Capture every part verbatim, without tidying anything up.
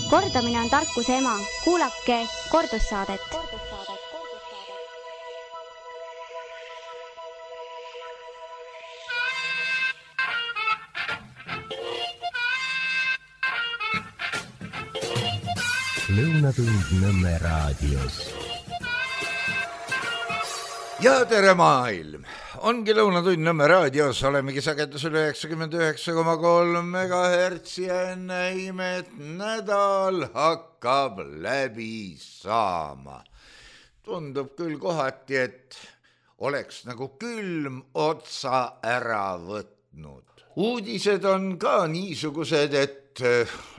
Kordamine on tarkuse ema. Kuulake kordussaadet. Lõunatund Nõmme raadios. Ja tere maailm! Ongi Lõunatund Nõmme raadios, olemegi sagedusel üheksakümmend üheksa koma kolm megahertsi ja enne imet nädal hakkab läbi saama. Tundub küll kohati, et oleks nagu külm otsa ära võtnud. Uudised on ka niisugused, et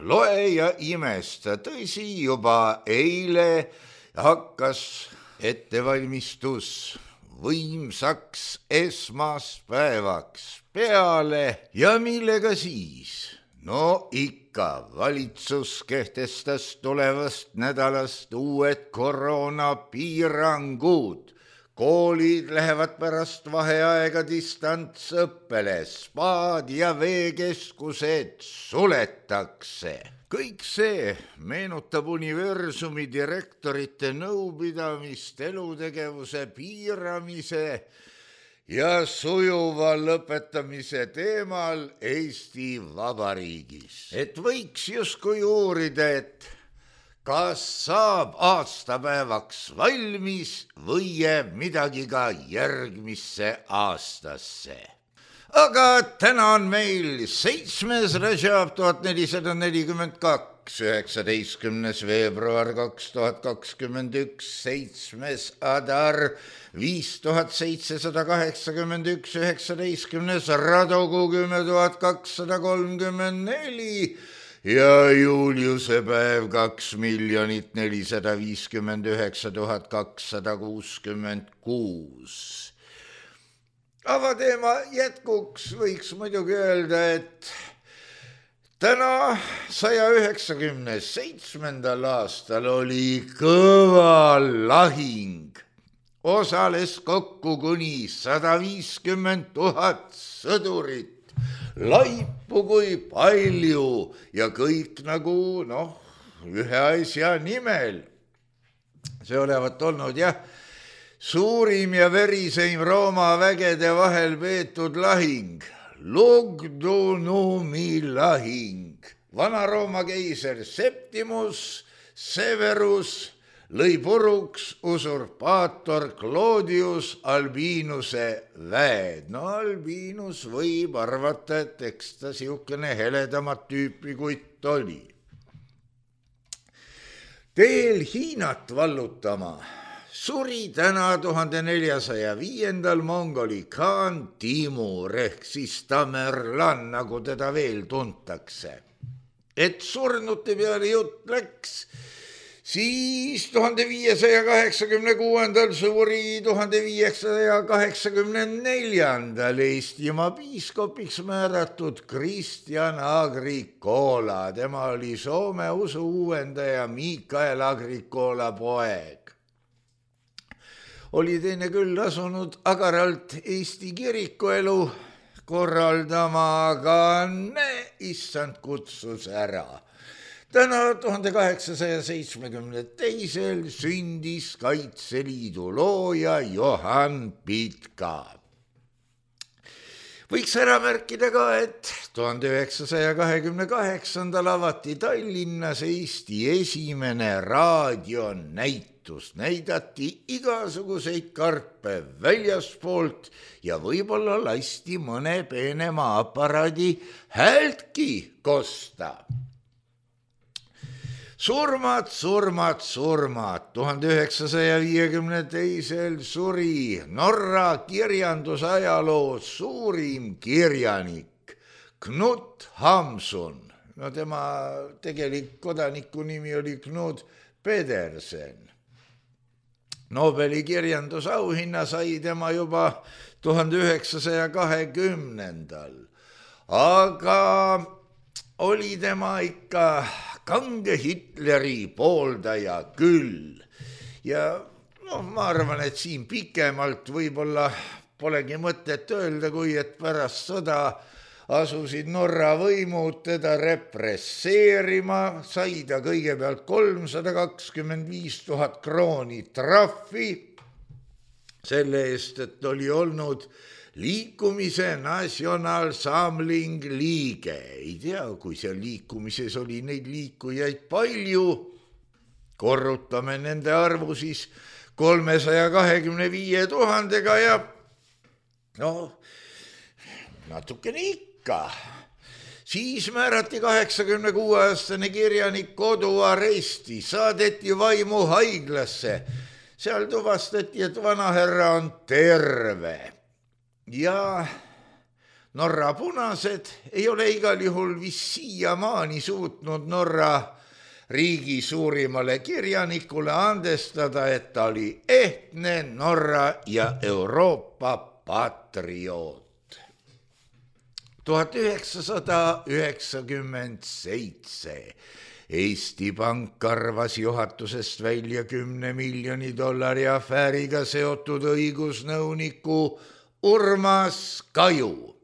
loe ja imesta. Tõsi, juba eile hakkas ettevalmistus võimsaks esmaspäevaks peale ja millega siis? No ikka, valitsus kehtestas tulevast nädalast uued koroonapiirangud. Koolid lähevad pärast vaheaega distantsõppele, spaad ja veekeskused suletakse. Kõik see meenutab universumi direktorite nõupidamist elutegevuse piiramise ja sujuva lõpetamise teemal Eesti Vabariigis. Et võiks justkui uurida, et kas saab aastapäevaks valmis või jääb midagi ka järgmisse aastasse. Aga täna on meil seitsmes Rajab tuhat nelisada nelikümmend kaks, üheksateistkümnes veebruar kaks tuhat kakskümmend üks, seitsmes Adar viis tuhat seitsesada kaheksakümmend üks, üheksateistkümnes Radogu kümme tuhat kakssada kolmkümmend neli ja Juliuse päev kaks miljonit nelisada viiskümmend üheksa tuhat kakssada kuuskümmend kuus. Avateema jätkuks võiks muidugi öelda, et täna saja üheksakümne seitsmendal aastal oli kõva lahing. Osales kokku kuni sada viiskümmend tuhat sõdurit. Laipu kui palju ja kõik nagu noh, ühe asja nimel. See olevat olnud jah, suurim ja veriseim Rooma vägede vahel peetud lahing, Lugdunumi lahing. Vana-Rooma keiser Septimus Severus lõi puruks usurpaator Claudius Albinuse väed. No Albinus võib arvata, et eks ta siukene heledamat tüüpi kutt oli. Teel Hiinat vallutama suri täna tuhande neljasaja viiendal mongoli Khan Timur ehk siis Tamerlan, nagu teda veel tuntakse. Et surnute peale jutt läks, siis tuhande viiesaja kaheksakümne kuuendal suri tuhande viiesaja kaheksakümne neljandal Eestimaa piiskopiks määratud Kristjan Agrikola. Tema oli Soome usu uuendaja Mikael Agrikola poeg. Oli teine küll asunud agaralt Eesti kirikuelu korraldama, aga ne, issand kutsus ära. Täna tuhande kaheksasaja seitsmekümne teisel sündis Kaitseliidu looja Johan Pitka. Võiks ära märkida ka, et tuhande üheksasaja kahekümne kaheksandal avati Tallinnas Eesti esimene raadionäitus. Näidati igasuguseid karpe väljaspoolt ja võib-olla lasti mõne peenema aparaadi häältki kosta. Surmad, surmad, surmad. tuhande üheksasaja viiekümne teisel suri Norra kirjandusajaloo suurim kirjanik Knut Hamsun. No tema tegelik kodaniku nimi oli Knut Pedersen. Nobeli kirjandusauhinna sai tema juba tuhande üheksasaja kahekümnendal. Aga oli tema ikka kange Hitleri pooldaja küll. Ja no, ma arvan, et siin pikemalt võib-olla polegi mõtet öelda, kui et pärast sõda asusid Norra võimud teda represseerima, sai ta kõigepealt kolmsada kakskümmend viis tuhat krooni trahvi selle eest, et oli olnud liikumise Nationalsamling liige. Ei tea, kui seal liikumises oli neid liikujaid palju, korrutame nende arvu siis kolmesaja kahekümne viie tuhandega ja no natukene ikka. Siis määrati kaheksakümne kuue aastane kirjanik koduaresti, saadeti Vaimu haiglasse. Seal tuvastati, et vanaherra on terve. Ja Norra punased ei ole igal juhul vis siiamaani suutnud Norra riigi suurimale kirjanikule andestada, et ta oli ehtne Norra ja Euroopa patrioot. tuhat üheksasada üheksakümmend seitse Eesti Pank arvas juhatusest välja kümne miljoni dollari afääriga seotud õigusnõuniku Urmas Kaju.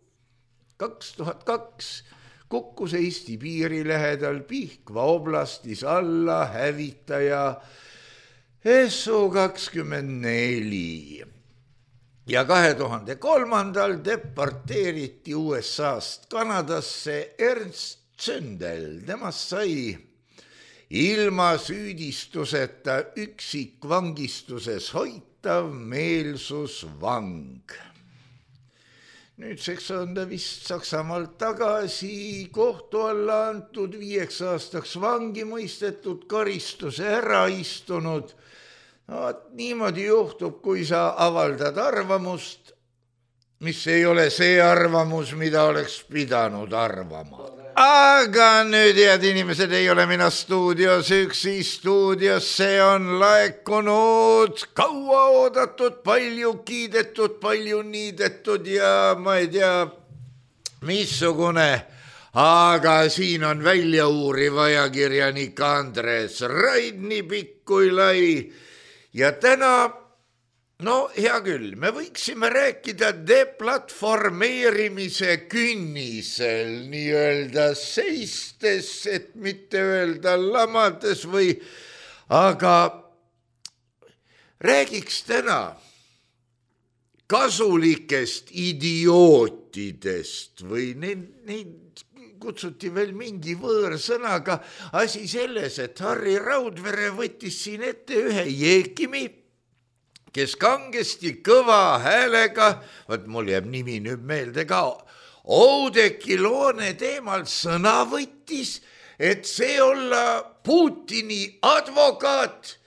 kaks tuhat kaks kukkus Eesti piiri lähedal Pihkva oblastis alla hävitaja S U kakskümmend neli. Ja kahe tuhande kolmandal deporteeriti U S A-st Kanadasse Ernst Zündel. Temast sai ilma süüdistuseta üksikvangistuses hoitav meelsusvang. Nüüdseks on ta vist Saksamaalt tagasi kohtu alla antud, viieks aastaks vangi mõistetud, karistuse ära istunud. No, niimoodi juhtub, kui sa avaldad arvamust, mis ei ole see arvamus, mida oleks pidanud arvama. Aga nüüd, head inimesed, ei ole mina stuudios üksi, stuudiosse on laekunud kaua oodatud, palju kiidetud, palju niidetud ja ma ei tea, missugune, aga siin on välja uuriv ajakirjanik Andres Raidni pikk kui lai ja täna, no hea küll, me võiksime rääkida deplatformeerimise künnisel, nii-öelda seistes, et mitte öelda lamades või, aga räägiks täna kasulikest idiootidest või neid, neid kutsuti veel mingi võõrsõnaga. Asi selles, et Harri Raudvere võttis siin ette ühe jeekimi, kes kangesti kõva häälega, võt mul jääb nimi nüüd meelde ka, Oudekki Loone teemal sõna võttis, et see olla Putini advokaat.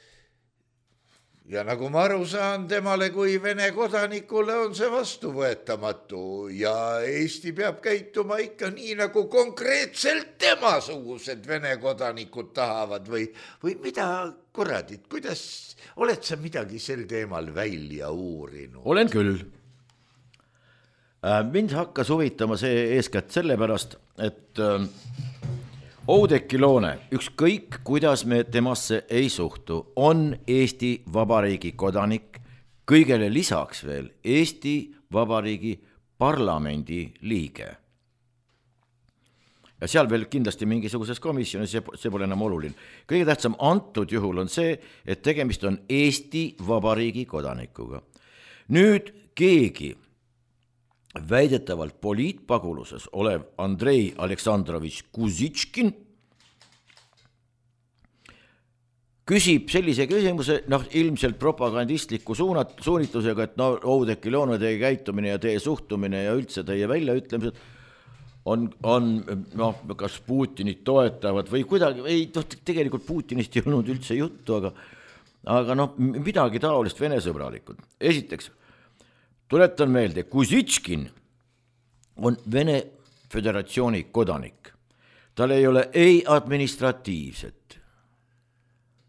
Ja nagu ma aru saan, temale kui Vene kodanikule on see vastuvõetamatu ja Eesti peab käituma ikka nii, nagu konkreetselt temasugused Vene kodanikud tahavad või, või mida kuradit, kuidas oled sa midagi sel teemal välja uurinud? Olen küll. Mind hakkas huvitama see eeskätt sellepärast, et Oudekki Loone, ükskõik kuidas me temasse ei suhtu, on Eesti Vabariigi kodanik, kõigele lisaks veel Eesti Vabariigi parlamendi liige. Ja seal veel kindlasti mingisuguses komisjonis, see pole enam oluline. Kõige tähtsam antud juhul on see, et tegemist on Eesti Vabariigi kodanikuga. Nüüd keegi väidetavalt poliitpaguluses olev Andrei Aleksandrovitš Kuzitškin küsib sellise küsimuse, noh, ilmselt propagandistliku suunat, suunitusega, et no, Oudekki Loone teie käitumine ja teie suhtumine ja üldse teie väljaütlemised on, on noh, kas Putinit toetavad või kuidagi, ei, tegelikult Putinist ei olnud üldse juttu, aga, aga noh, midagi taolist Vene sõbralikud. Esiteks, tuletan meelde, Kuzitškin on Vene Föderatsiooni kodanik. Tal ei ole ei administratiivset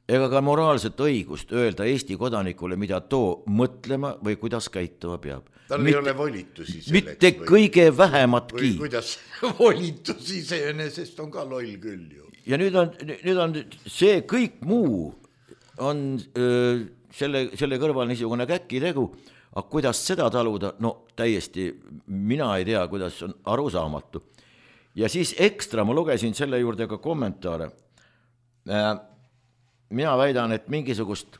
ega ka moraalset õigust öelda Eesti kodanikule, mida too mõtlema või kuidas käituma peab. Tal mitte, ei ole volitusi selleks. Mitte või, kõige vähematki. Või kuidas volitusi sest on ka loll küll ju. Ja nüüd on, nüüd on see kõik muu on öö, selle, selle kõrval niisugune käkki tegu, aga kuidas seda taluda, no täiesti, mina ei tea, kuidas on arusaamatu. Ja siis ekstra ma lugesin selle juurde ka kommentaare. Mina väidan, et mingisugust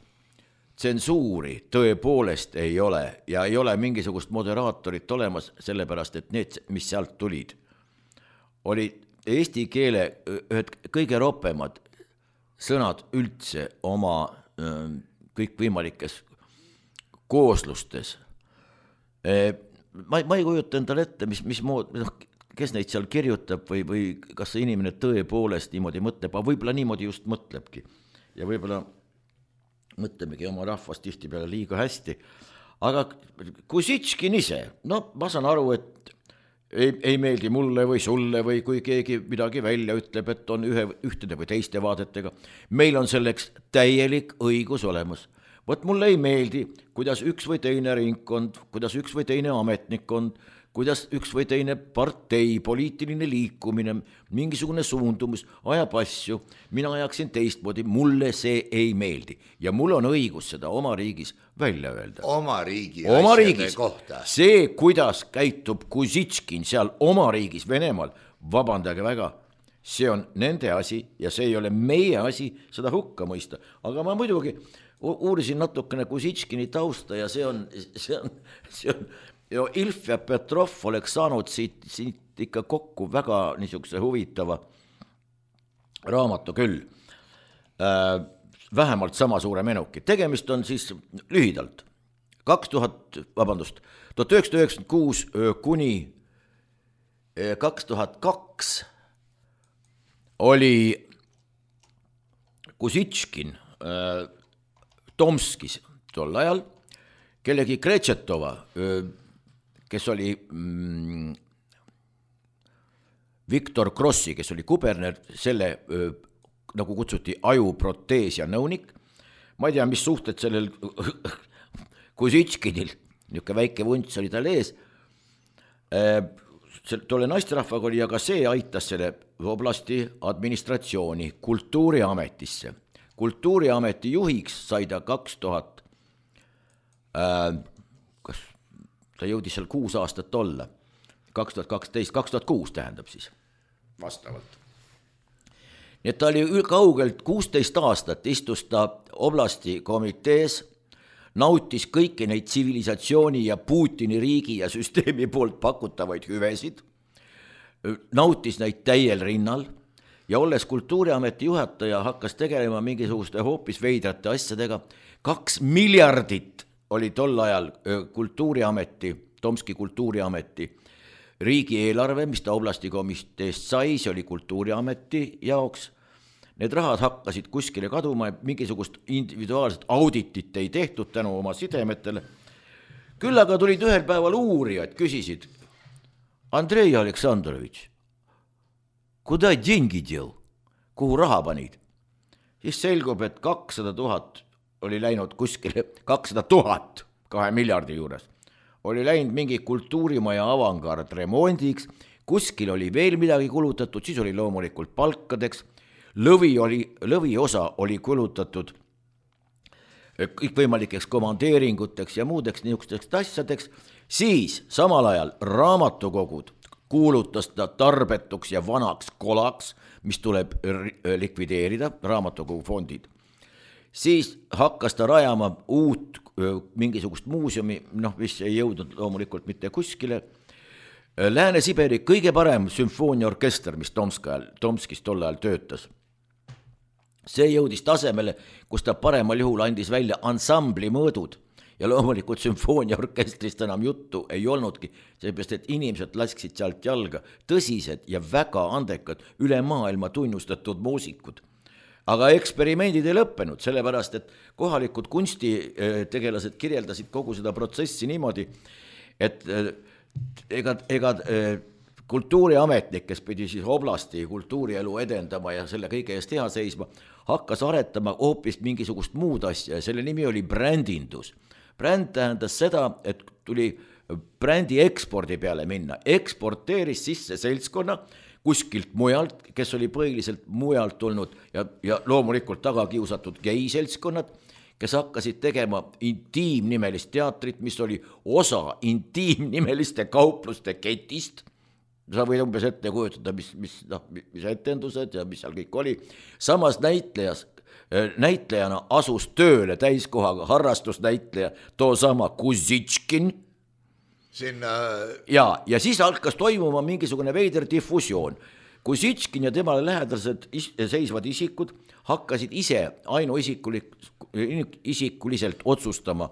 tsensuuri tõepoolest ei ole ja ei ole mingisugust moderaatorit olemas, sellepärast, et need, mis sealt tulid, olid eesti keele ühed kõige ropemad sõnad üldse oma kõikvõimalikes kooslustes. Ma, ma ei kujuta endale ette, mis, mis mood, kes neid seal kirjutab või, või kas see inimene tõepoolest niimoodi mõtleb, aga võib-olla niimoodi just mõtlebki. Ja võib-olla mõtlemegi oma rahvast tihti peale liiga hästi. Aga Kusitškin ise, no ma saan aru, et ei, ei meeldi mulle või sulle või kui keegi midagi välja ütleb, et on ühe, ühtede või teiste vaadetega. Meil on selleks täielik õigus olemas. Võt mulle ei meeldi, kuidas üks või teine ringkond, kuidas üks või teine ametnikkond, kuidas üks või teine partei, poliitiline liikumine, mingisugune suundumus, ajab asju, mina ajaksin teistmoodi, mulle see ei meeldi. Ja mul on õigus seda oma riigis välja öelda. Oma riigi oma asjade riigis. kohta. See, kuidas käitub Kusitškin seal oma riigis Venemaal, vabandage väga, see on nende asi ja see ei ole meie asi seda hukka mõista. Aga ma muidugi uurisin natukene Kusitškini tausta ja see on, see on, see on ja Ilf ja Petrov oleks saanud siit, siit ikka kokku väga niisuguse huvitava raamatu küll. Äh, vähemalt sama suure menuki. Tegemist on siis lühidalt. kaks tuhat, vabandust, tuhat üheksasada üheksakümmend kuus kuni kaks tuhat kaks oli Kusitškin äh, Tomskis tol ajal, kellegi Kretšetova, kes oli mm, Viktor Krossi, kes oli kuberner, selle öö, nagu kutsuti ajuproteesia nõunik. Ma ei tea, mis suhted sellel Kusitškinil, niisugune väike vunts oli tal ees. Tolle naisterahvaga oli, aga see aitas selle oblasti administratsiooni kultuuriametisse. Kultuuriameti juhiks sai ta kaks tuhat, kas ta jõudis seal kuus aastat olla, kaks tuhat kaksteist, kaks tuhat kuus tähendab siis vastavalt. Nii et ta oli kaugelt kuusteist aastat, istus ta oblasti komitees, nautis kõiki neid tsivilisatsiooni ja Putini riigi ja süsteemi poolt pakutavaid hüvesid, nautis neid täiel rinnal ja olles kultuuriameti juhataja hakkas tegelema mingisuguste hoopis veidrate asjadega. Kaks miljardit oli tol ajal kultuuriameti, Tomski kultuuriameti riigieelarve, mis ta oblasti komiteest sai, see oli kultuuriameti jaoks. Need rahad hakkasid kuskile kaduma, mingisugust individuaalset auditit ei tehtud tänu oma sidemetele. Küll aga tulid ühel päeval uurijad, küsisid, Andrei Aleksandrovitš, kuda деньги дел, kuhu raha panid? Siis selgub, et kakssada tuhat oli läinud kuskile, kakssada tuhat kahe miljardi juures, oli läinud mingi kultuurimaja avangard remondiks, kuskil oli veel midagi kulutatud, siis oli loomulikult palkadeks, lõvi, oli, lõvi osa oli kulutatud kõikvõimalikeks komandeeringuteks ja muudeks niisugusteks asjadeks, siis samal ajal raamatukogud kuulutas ta tarbetuks ja vanaks kolaks, mis tuleb likvideerida, raamatukogufondid. Siis hakkas ta rajama uut mingisugust muuseumi, noh, mis ei jõudnud loomulikult mitte kuskile. Lääne-Siberi kõige parem sümfooniaorkester, mis Tomskajal, Tomskis tol ajal töötas. See jõudis tasemele, kus ta paremal juhul andis välja ansambli mõõdud ja loomulikult sümfooniaorkestrist enam juttu ei olnudki, seepärast, et inimesed lasksid sealt jalga tõsised ja väga andekad üle maailma tunnustatud muusikud. Aga eksperimendid ei lõppenud, sellepärast, et kohalikud kunstitegelased kirjeldasid kogu seda protsessi niimoodi, et ega, ega kultuuriametnik, kes pidi siis oblasti kultuurielu edendama ja selle kõige eest hea seisma, hakkas aretama hoopis mingisugust muud asja ja selle nimi oli brändindus. Bränd tähendas seda, et tuli brändi ekspordi peale minna, eksporteeris sisse seltskonna kuskilt mujalt, kes oli põhiliselt mujalt tulnud ja, ja loomulikult taga kiusatud gei seltskonnad, kes hakkasid tegema intiimnimelist teatrit, mis oli osa intiimnimeliste kaupluste ketist. Sa võid umbes ette kujutada, mis, mis, noh, mis etendused ja mis seal kõik oli. Samas näitlejas, näitlejana asus tööle täiskohaga harrastusnäitleja too sama Kusitškin. Sinna... Ja, ja siis hakkas toimuma mingisugune veider diffusioon. Kusitškin ja temale lähedased is- seisvad isikud hakkasid ise ainuisikuliselt otsustama,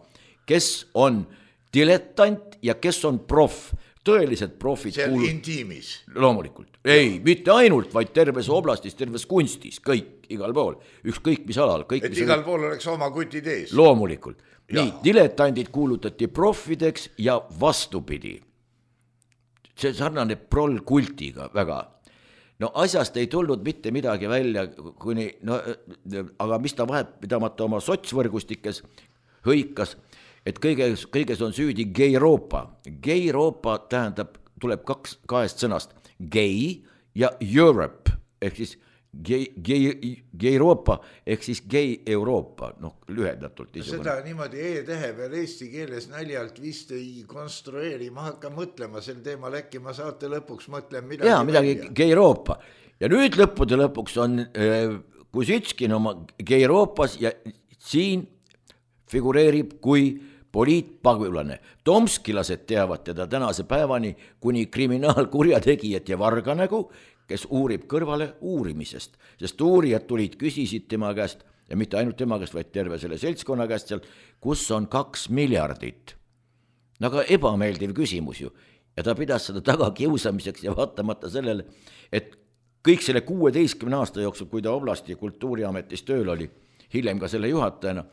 kes on dilettant ja kes on proff. Tõelised profid seal kuulud... intiimis. Loomulikult. Ei, mitte ainult, vaid terves oblastis, terves kunstis, kõik, igal pool. Ükskõik mis alal. Kõik, et mis igal oli... pool oleks oma kutid ees. Loomulikult. Ja. Nii, diletandid kuulutati proffideks ja vastupidi. See sarnane prol-kultiga väga. No asjast ei tulnud mitte midagi välja, kuni, no, aga mis ta vahet pidamata oma sotsvõrgustikes hõikas, et kõiges, kõiges on süüdi Gay-Euroopa. Gay-Euroopa tähendab, tuleb kaks, kahest sõnast, gay ja Europe, ehk siis Gay-Euroopa, ehk siis Gay-Euroopa, noh, lühendatult. Seda niimoodi e-tehe peal eesti keeles naljalt vist ei konstrueeri, ma hakkan mõtlema sel teemal, äkki ma saate lõpuks mõtlen midagi. Jaa, midagi Gay-Euroopa. Ja nüüd lõppude lõpuks on äh, Kusitškin oma Gay-Euroopas ja siin figureerib kui poliitpagulane. Tomskilased teavad teda tänase päevani kuni kriminaalkurjategijat ja varganägu, kes uurib kõrvale uurimisest, sest uurijad tulid, küsisid tema käest ja mitte ainult tema käest, vaid terve selle seltskonna käest seal, kus on kaks miljardit. Aga ebameeldiv küsimus ju ja ta pidas seda taga kiusamiseks ja vaatamata sellele, et kõik selle kuueteistkümne aasta jooksul, kui ta oblasti kultuuriametis tööl oli, hiljem ka selle juhatajana,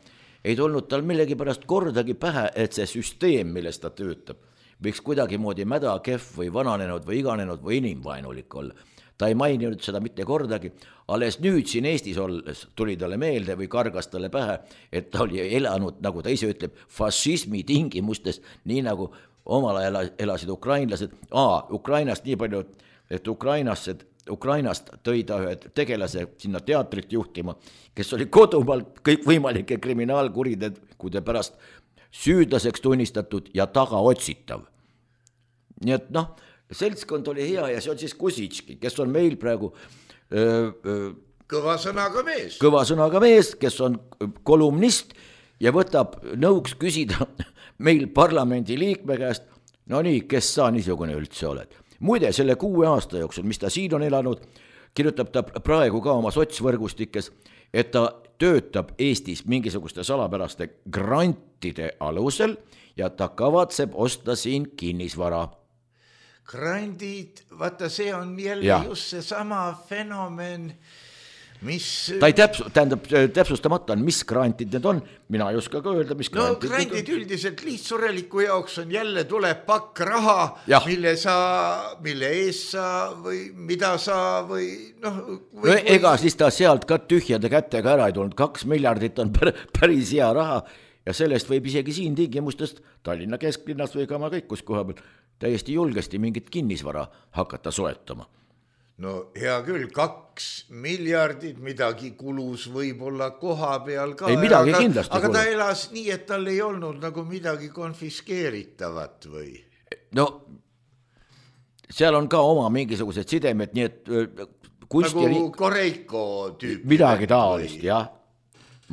ei tulnud tal millegi pärast kordagi pähe, et see süsteem, milles ta töötab, võiks kuidagi moodi mäda, kehv või vananenud või iganenud või inimvaenulik olla. Ta ei maininud seda mitte kordagi, alles nüüd siin Eestis olles tuli talle meelde või kargas talle pähe, et ta oli elanud, nagu ta ise ütleb, fašismi tingimustes, nii nagu omal ajal elasid ukrainlased. Aa, Ukrainast nii palju, et Ukrainasse Ukrainast tõi ta ühe tegelase sinna teatrit juhtima, kes oli kodumaal kõik võimalike kriminaalkuritegude pärast süüdlaseks tunnistatud ja taga otsitav. Nii et noh, seltskond oli hea ja see on siis Kusitškin, kes on meil praegu öö, öö, kõva sõnaga mees. Kõva sõnaga mees, kes on kolumnist ja võtab nõuks küsida meil parlamendi liikme käest, no nii, kes sa niisugune üldse oled. Muide, selle kuue aasta jooksul, mis ta siin on elanud, kirjutab ta praegu ka oma sotsvõrgustikes, et ta töötab Eestis mingisuguste salapäraste grantide alusel ja ta kavatseb osta siin kinnisvara. Grandid, vaata see on jälle ja. Just see sama fenomen, mis... Ta ei täpsu, tähendab, täpsustamata on, mis grantid need on, mina ei oska ka öelda, mis grantid. No grantid üldiselt lihtsureliku jaoks on jälle tuleb pakk raha, ja. mille sa, mille ees sa või mida sa või noh... Või, no ega või... siis ta sealt ka tühjade kätega ära ei tulnud, kaks miljardit on päris hea raha ja sellest võib isegi siin tingimustest Tallinna kesklinnas või ka ma kõik, kus koha peal täiesti julgesti mingit kinnisvara hakata soetama. No hea küll, kaks miljardit, midagi kulus võib-olla koha peal ka. Ei midagi aga, kindlasti aga kulus. Ta elas nii, et tal ei olnud nagu midagi konfiskeeritavat või? No, seal on ka oma mingisugused sidemed, nii et kunsti... Nagu Koreiko tüüp. Midagi taolist, või... jah.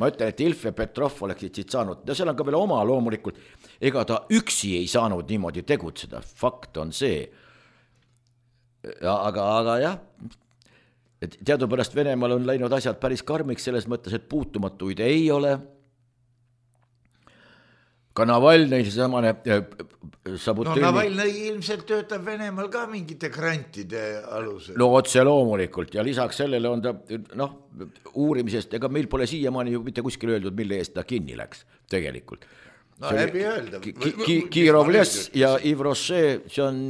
Ma ütlen, et Ilf ja Petrov oleksid siit saanud. Ja seal on ka veel oma loomulikult. Ega ta üksi ei saanud niimoodi tegutseda. Fakt on see. Ja, aga, aga jah, et teadupärast Venemaal on läinud asjad päris karmiks selles mõttes, et puutumatuid ei ole. Ka Navalnõi samane sabutööni... No Navalnõi ilmselt töötab Venemaal ka mingite grantide alusel. No otse loomulikult ja lisaks sellele on ta noh, uurimisest, ega meil pole siiamaani ju mitte kuskil öeldud, mille eest ta kinni läks tegelikult. No läbi öelda. Kirovles ja Yves Rocher, see on...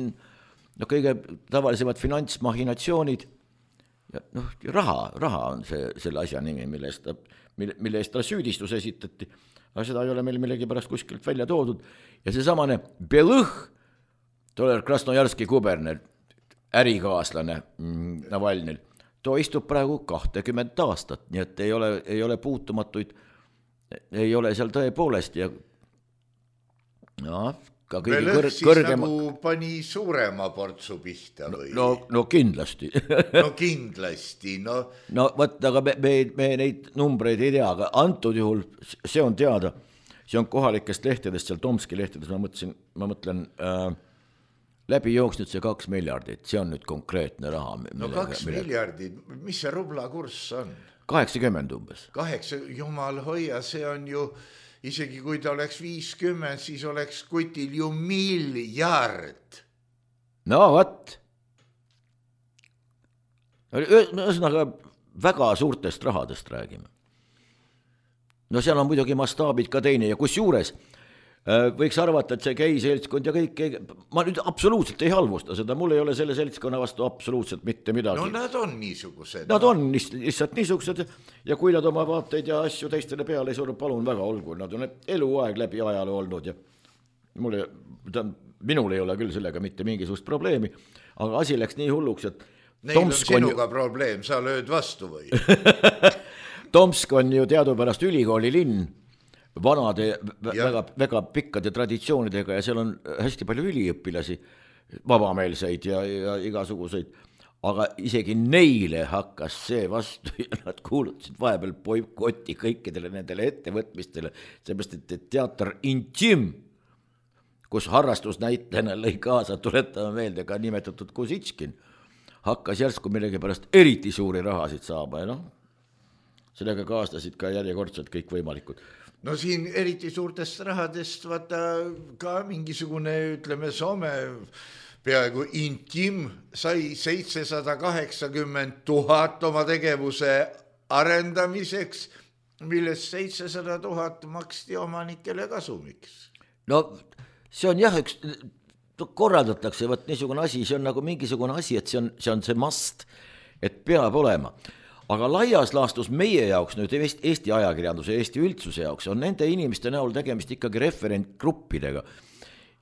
No kõige tavalisemad finantsmahinatsioonid, ja noh, raha, raha on see, selle asja nimi, mille eest ta, mille, mille eest ta süüdistus esitati, aga seda ei ole meil millegi pärast kuskilt välja toodud. Ja see samane Belõh, toller Krasnojarski kuberner, ärikaaslane Navalnõil, too istub praegu kakskümmend aastat, nii et ei ole, ei ole puutumatuid ei ole seal tõepoolest ja no, ka kõige Veel kõr- siis kõrgema... nagu pani suurema portsu pihta või? No, no kindlasti. no kindlasti, no. No võt, aga me, me, me neid numbreid ei tea, aga antud juhul see on teada, see on kohalikest lehtedest, seal Tomski lehtedes, ma mõtlesin, ma mõtlen äh, läbi jooksnud see kaks miljardit, see on nüüd konkreetne raha. No millega, kaks millega... miljardit, mis see rubla kurss on? kaheksakümmend umbes. Kaheksa, jumal hoia, see on ju, isegi kui ta oleks viiskümmend, siis oleks kutil ju miljard. No võt. Ühesõnaga väga suurtest rahadest räägime. No seal on muidugi mastaabid ka teine ja kus juures võiks arvata, et see gei seltskond ja kõik, ma nüüd absoluutselt ei halvusta seda, mul ei ole selle seltskonna vastu absoluutselt mitte midagi. No nad on niisugused. Nad on lihtsalt niisugused ja kui nad oma vaateid ja asju teistele peale ei suru, palun väga olgu, nad on eluaeg läbi ajaloo olnud ja mulle, minul ei ole küll sellega mitte mingisugust probleemi, aga asi läks nii hulluks, et Neil Tomsk on sinuga on... probleem, sa lööd vastu või? Tomsk on ju teadupärast ülikooli linn, vanade, väga, väga pikkade traditsioonidega ja seal on hästi palju üliõpilasi, vabameelseid ja, ja igasuguseid, aga isegi neile hakkas see vastu ja nad kuulutasid vahepeal boikoti kõikidele nendele ettevõtmistele, seepärast, et teater Intim, kus harrastusnäitlejana lõi kaasa, tuletame meelde ka nimetatud Kusitskin, hakkas järsku millegipärast eriti suuri rahasid saama ja noh, sellega kaastasid ka järjekordselt kõik võimalikud. No siin eriti suurtest rahadest vaata ka mingisugune, ütleme, Soome peaaegu Intim sai seitsesada kaheksakümmend tuhat oma tegevuse arendamiseks, millest seitsesada tuhat maksti omanikele kasumiks. No see on jah, üks korraldatakse, võt niisugune asi, see on nagu mingisugune asi, et see on see, on see must, et peab olema. Aga laias laastus meie jaoks, nüüd Eesti ajakirjanduse, Eesti üldsuse jaoks on nende inimeste näol tegemist ikkagi referentgruppidega.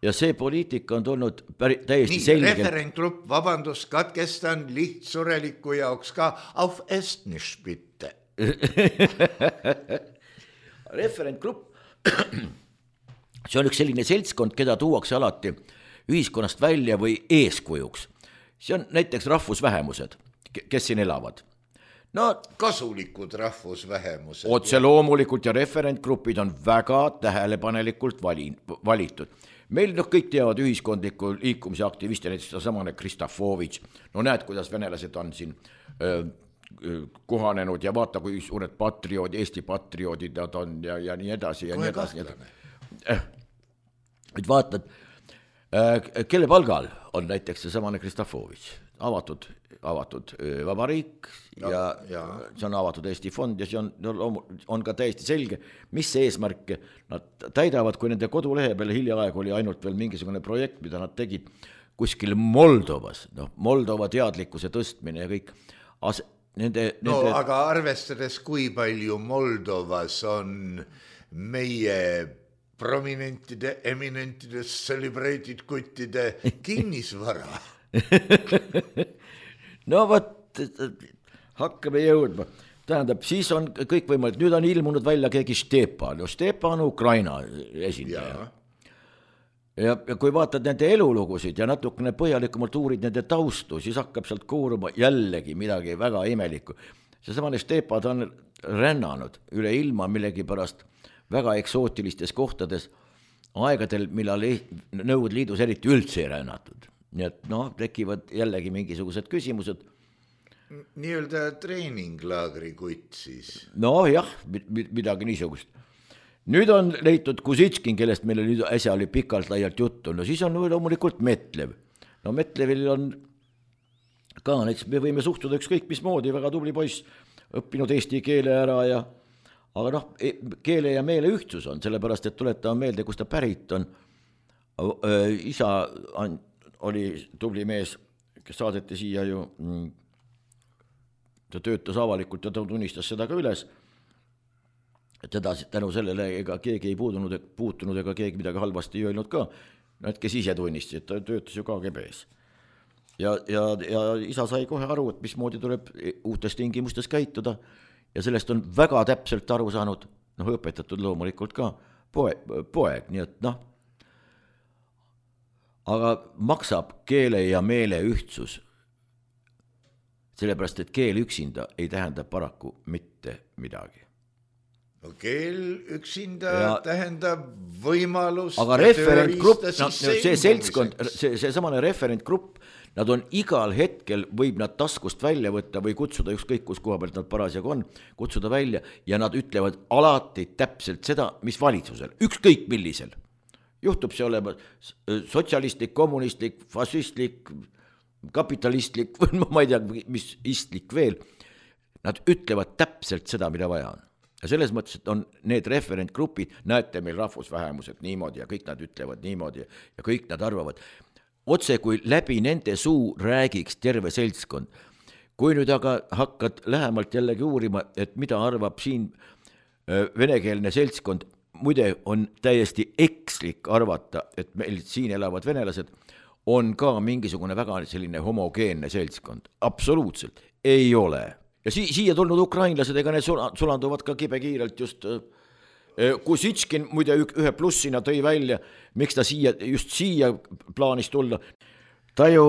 Ja see poliitika on tulnud päri, täiesti Nii, selgelt. Referentgrupp, vabandust, katkestan lihtsureliku jaoks ka auf Estnisch bitte. Referentgrupp, see on üks selline seltskond, keda tuuakse alati ühiskonnast välja või eeskujuks. See on näiteks rahvusvähemused, kes siin elavad. No, kasulikud rahvusvähemused. Otse loomulikult ja referentgrupid on väga tähelepanelikult vali, valitud. Meil noh, kõik teavad ühiskondliku liikumise aktivisti, näiteks samane Kristofovitš. No näed, kuidas venelased on siin öö, kohanenud ja vaata, kui suured patriood, Eesti patrioodid nad on ja, ja nii edasi ja Kohe nii edasi. kahtlane. Et vaatad, kelle palgal on näiteks see samane Kristofovitš, avatud, avatud vabariik ja, ja, ja see on avatud Eesti fond ja see on, on ka täiesti selge, mis see eesmärk nad täidavad, kui nende kodulehe peale hiljaaeg oli ainult veel mingisugune projekt, mida nad tegid kuskil Moldovas, noh, Moldova teadlikkuse tõstmine ja kõik. As, nende, no nende... aga arvestades, kui palju Moldovas on meie prominentide, eminentide, celebrated kuttide kinnisvara. No võt, hakkame jõudma. Tähendab, siis on kõik võimalik, nüüd on ilmunud välja keegi Stepan, Stepan Ukraina esindaja. Ja, ja kui vaatad nende elulugusid ja natukene põhjalikumalt uurid nende taustu, siis hakkab sealt kooruma jällegi midagi väga imelikku. See samane Stepan on rännanud üle ilma millegi pärast väga eksootilistes kohtades aegadel, millal Nõukogude Liidus eriti üldse ei rännatud. Nii et noh, tekivad jällegi mingisugused küsimused. Nii-öelda treeninglaagri kutt siis. No jah, midagi niisugust. Nüüd on leitud Kusitskin, kellest meil nüüd äsja oli pikalt laialt juttu. No siis on loomulikult Metlev. No Metlevil on ka, näiteks me võime suhtuda ükskõik mismoodi, väga tubli poiss, õppinud eesti keele ära ja aga noh, keele ja meele ühtsus on, sellepärast, et tuletame meelde, kus ta pärit on. Isa oli tubli mees, kes saadeti siia ju, ta töötas avalikult ja ta tunnistas seda ka üles. Teda tänu sellele ega keegi ei puutunud, puutunud ega keegi midagi halvasti ei öelnud ka. Nad, kes ise tunnisti, et ta töötas ju K G B-s. Ja, ja, ja isa sai kohe aru, et mismoodi tuleb uutes tingimustes käituda. Ja sellest on väga täpselt aru saanud noh, õpetatud loomulikult ka poeg, poeg, nii et noh, aga maksab keele ja meele ühtsus, sellepärast, et keel üksinda ei tähenda paraku mitte midagi. No keel üksinda ja, tähendab võimalust. Aga referentgrupp, no, see seltskond, see, see samane referentgrupp, nad on igal hetkel, võib nad taskust välja võtta või kutsuda ükskõik, kus koha pealt nad parasjagu on, kutsuda välja ja nad ütlevad alati täpselt seda, mis valitsusel, ükskõik millisel. Juhtub see olema sotsialistlik, kommunistlik, fašistlik, kapitalistlik, ma ei tea, mis istlik veel. Nad ütlevad täpselt seda, mida vaja on. Ja selles mõttes, et on need referentgrupid, näete meil rahvusvähemused niimoodi ja kõik nad ütlevad niimoodi ja kõik nad arvavad. Otse kui läbi nende suu räägiks terve seltskond. Kui nüüd aga hakkad lähemalt jällegi uurima, et mida arvab siin venekeelne seltskond, muide on täiesti ekslik arvata, et meil siin elavad venelased on ka mingisugune väga selline homogeenne seltskond. Absoluutselt ei ole. Ja si- siia tulnud ukrainlased, ega need sulanduvad ka kibekiirelt just, Kusitškin muide ühe plussina tõi välja, miks ta siia, just siia plaanis tulla. Ta ju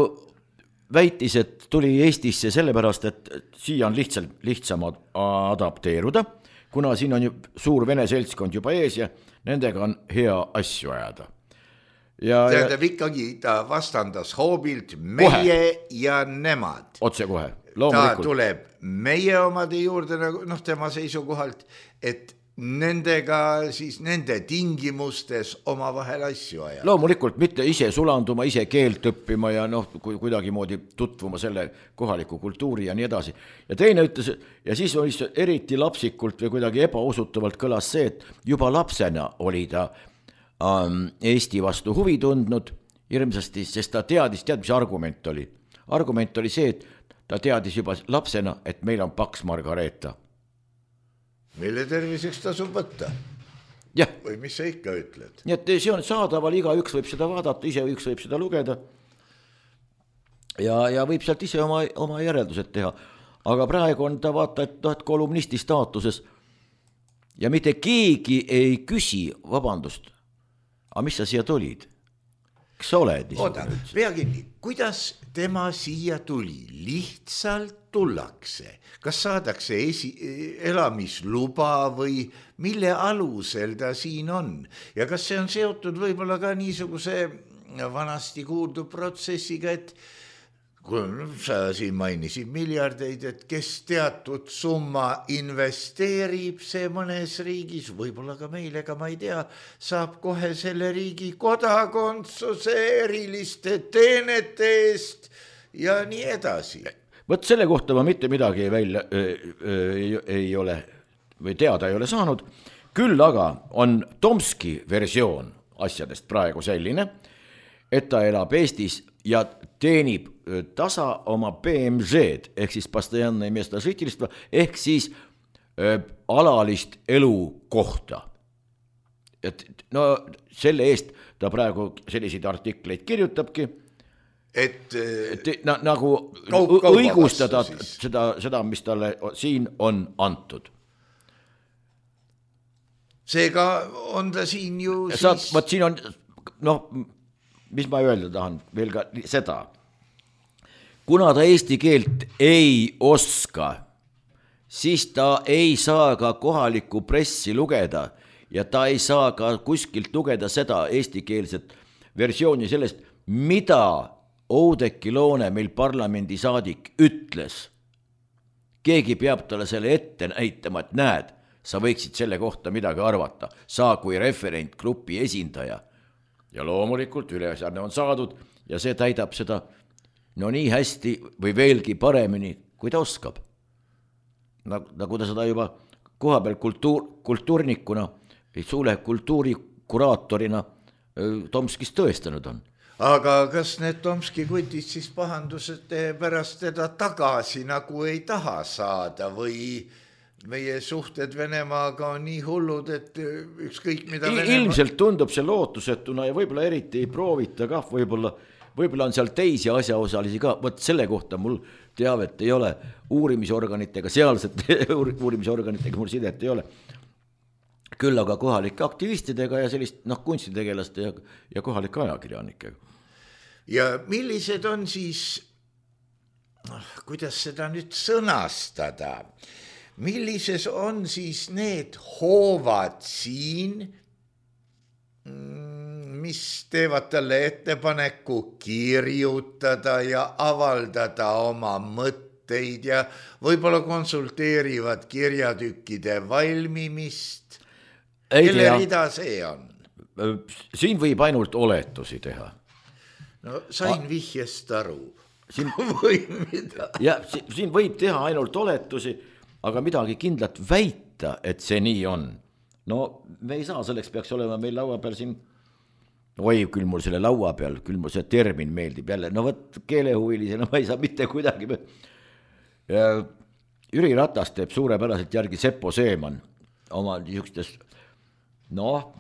väitis, et tuli Eestisse sellepärast, et siia on lihtsalt lihtsam adapteeruda, kuna siin on ju suur vene seltskond juba ees ja nendega on hea asju ajada. Ja, tähendab ikkagi, ta vastandas hoobilt meie kohe. Ja nemad. Otse kohe. Ta tuleb meie omade juurde, noh, tema seisukohalt, et nendega siis nende tingimustes oma vahel asju ajada. Loomulikult mitte ise sulanduma, ise keelt õppima ja noh, kuidagi moodi tutvuma selle kohaliku kultuuri ja nii edasi. Ja teine ütles, ja siis oli eriti lapsikult või kuidagi ebausutavalt kõlas see, et juba lapsena oli ta ähm, Eesti vastu huvi tundnud hirmsasti, sest ta teadis, tead, mis argument oli. Argument oli see, et ta teadis juba lapsena, et meil on paks Margareeta. Mille terviseks tasub võtta? Ja. Või mis sa ikka ütled? Nii et see on saadaval, iga üks võib seda vaadata, ise üks võib seda lugeda ja, ja võib sealt ise oma, oma järeldused teha. Aga praegu on ta vaata, et, et kolumnisti staatuses ja mitte keegi ei küsi, vabandust, aga mis sa siia tulid? Kas sa oled? Oota, peagi nii, kuidas tema siia tuli? Lihtsalt tullakse. Kas saadakse esi, elamisluba või mille alusel ta siin on? Ja kas see on seotud võib-olla ka niisuguse vanasti kuuldu protsessiga, et kui sa siin mainisid miljardeid, et kes teatud summa investeerib see mõnes riigis, võib-olla ka meil, ega ma ei tea, saab kohe selle riigi kodakondsuse eriliste teenete eest ja nii edasi. Võt selle kohta ma mitte midagi välja öö, öö, ei, ei ole või teada ei ole saanud, küll aga on Tomski versioon asjadest praegu selline, et ta elab Eestis ja teenib tasa oma P M Z-d, ehk siis постоянное место жительства, ehk siis öö, alalist elukohta. Et, no selle eest ta praegu selliseid artikleid kirjutabki, et, et na, nagu kaup, õigustada seda, seda, mis talle siin on antud. Seega on ta siin ju siis... Saad, vaat siin on, noh, mis ma öelda tahan veel ka seda. Kuna ta eesti keelt ei oska, siis ta ei saa ka kohalikku pressi lugeda ja ta ei saa ka kuskilt lugeda seda eestikeelset versiooni sellest, mida Oudekki Loone, meil parlamendi saadik, ütles. Keegi peab talle selle ette näitama, et näed, sa võiksid selle kohta midagi arvata, saa kui referentgrupi esindaja. Ja loomulikult ülesanne on saadud ja see täidab seda no nii hästi või veelgi paremini, kui ta oskab. Nagu ta seda juba koha peal kultuur, kultuurnikuna või suule kultuurikuraatorina Tomskis tõestanud on. Aga kas need Tomski kutid siis pahandused pärast teda tagasi nagu ei taha saada või meie suhted Venemaaga on nii hullud, et ükskõik mida Venemaa... Ilmselt tundub see lootusetuna ja võib-olla eriti ei proovita ka, võib-olla, võib-olla on seal teisi asjaosalisi ka, võt selle kohta mul teavet ei ole, uurimisorganitega, sealsete uurimisorganitega mul sidet ei ole. küll aga kohalike aktivistidega ja sellist noh, kunstitegelaste ja, ja kohalike ajakirjanikega. Ja millised on siis, kuidas seda nüüd sõnastada, millises on siis need hoovad siin, mis teevad talle ettepaneku kirjutada ja avaldada oma mõtteid ja võib-olla konsulteerivad kirjatükkide valmimist. Kelle rida see on? Siin võib ainult oletusi teha. No sain vihjest aru. Siin, või mida? Ja, siin võib teha ainult oletusi, aga midagi kindlat väita, et see nii on. No me ei saa, selleks peaks olema meil laua peal siin, oi, küll mul selle laua peal, küll mul see termin meeldib jälle, no võt keelehuvilisena ma ei saa mitte kuidagi. Ja Jüri Ratas teeb suurepäraselt järgi Seppo Seeman oma niisugustes, noh,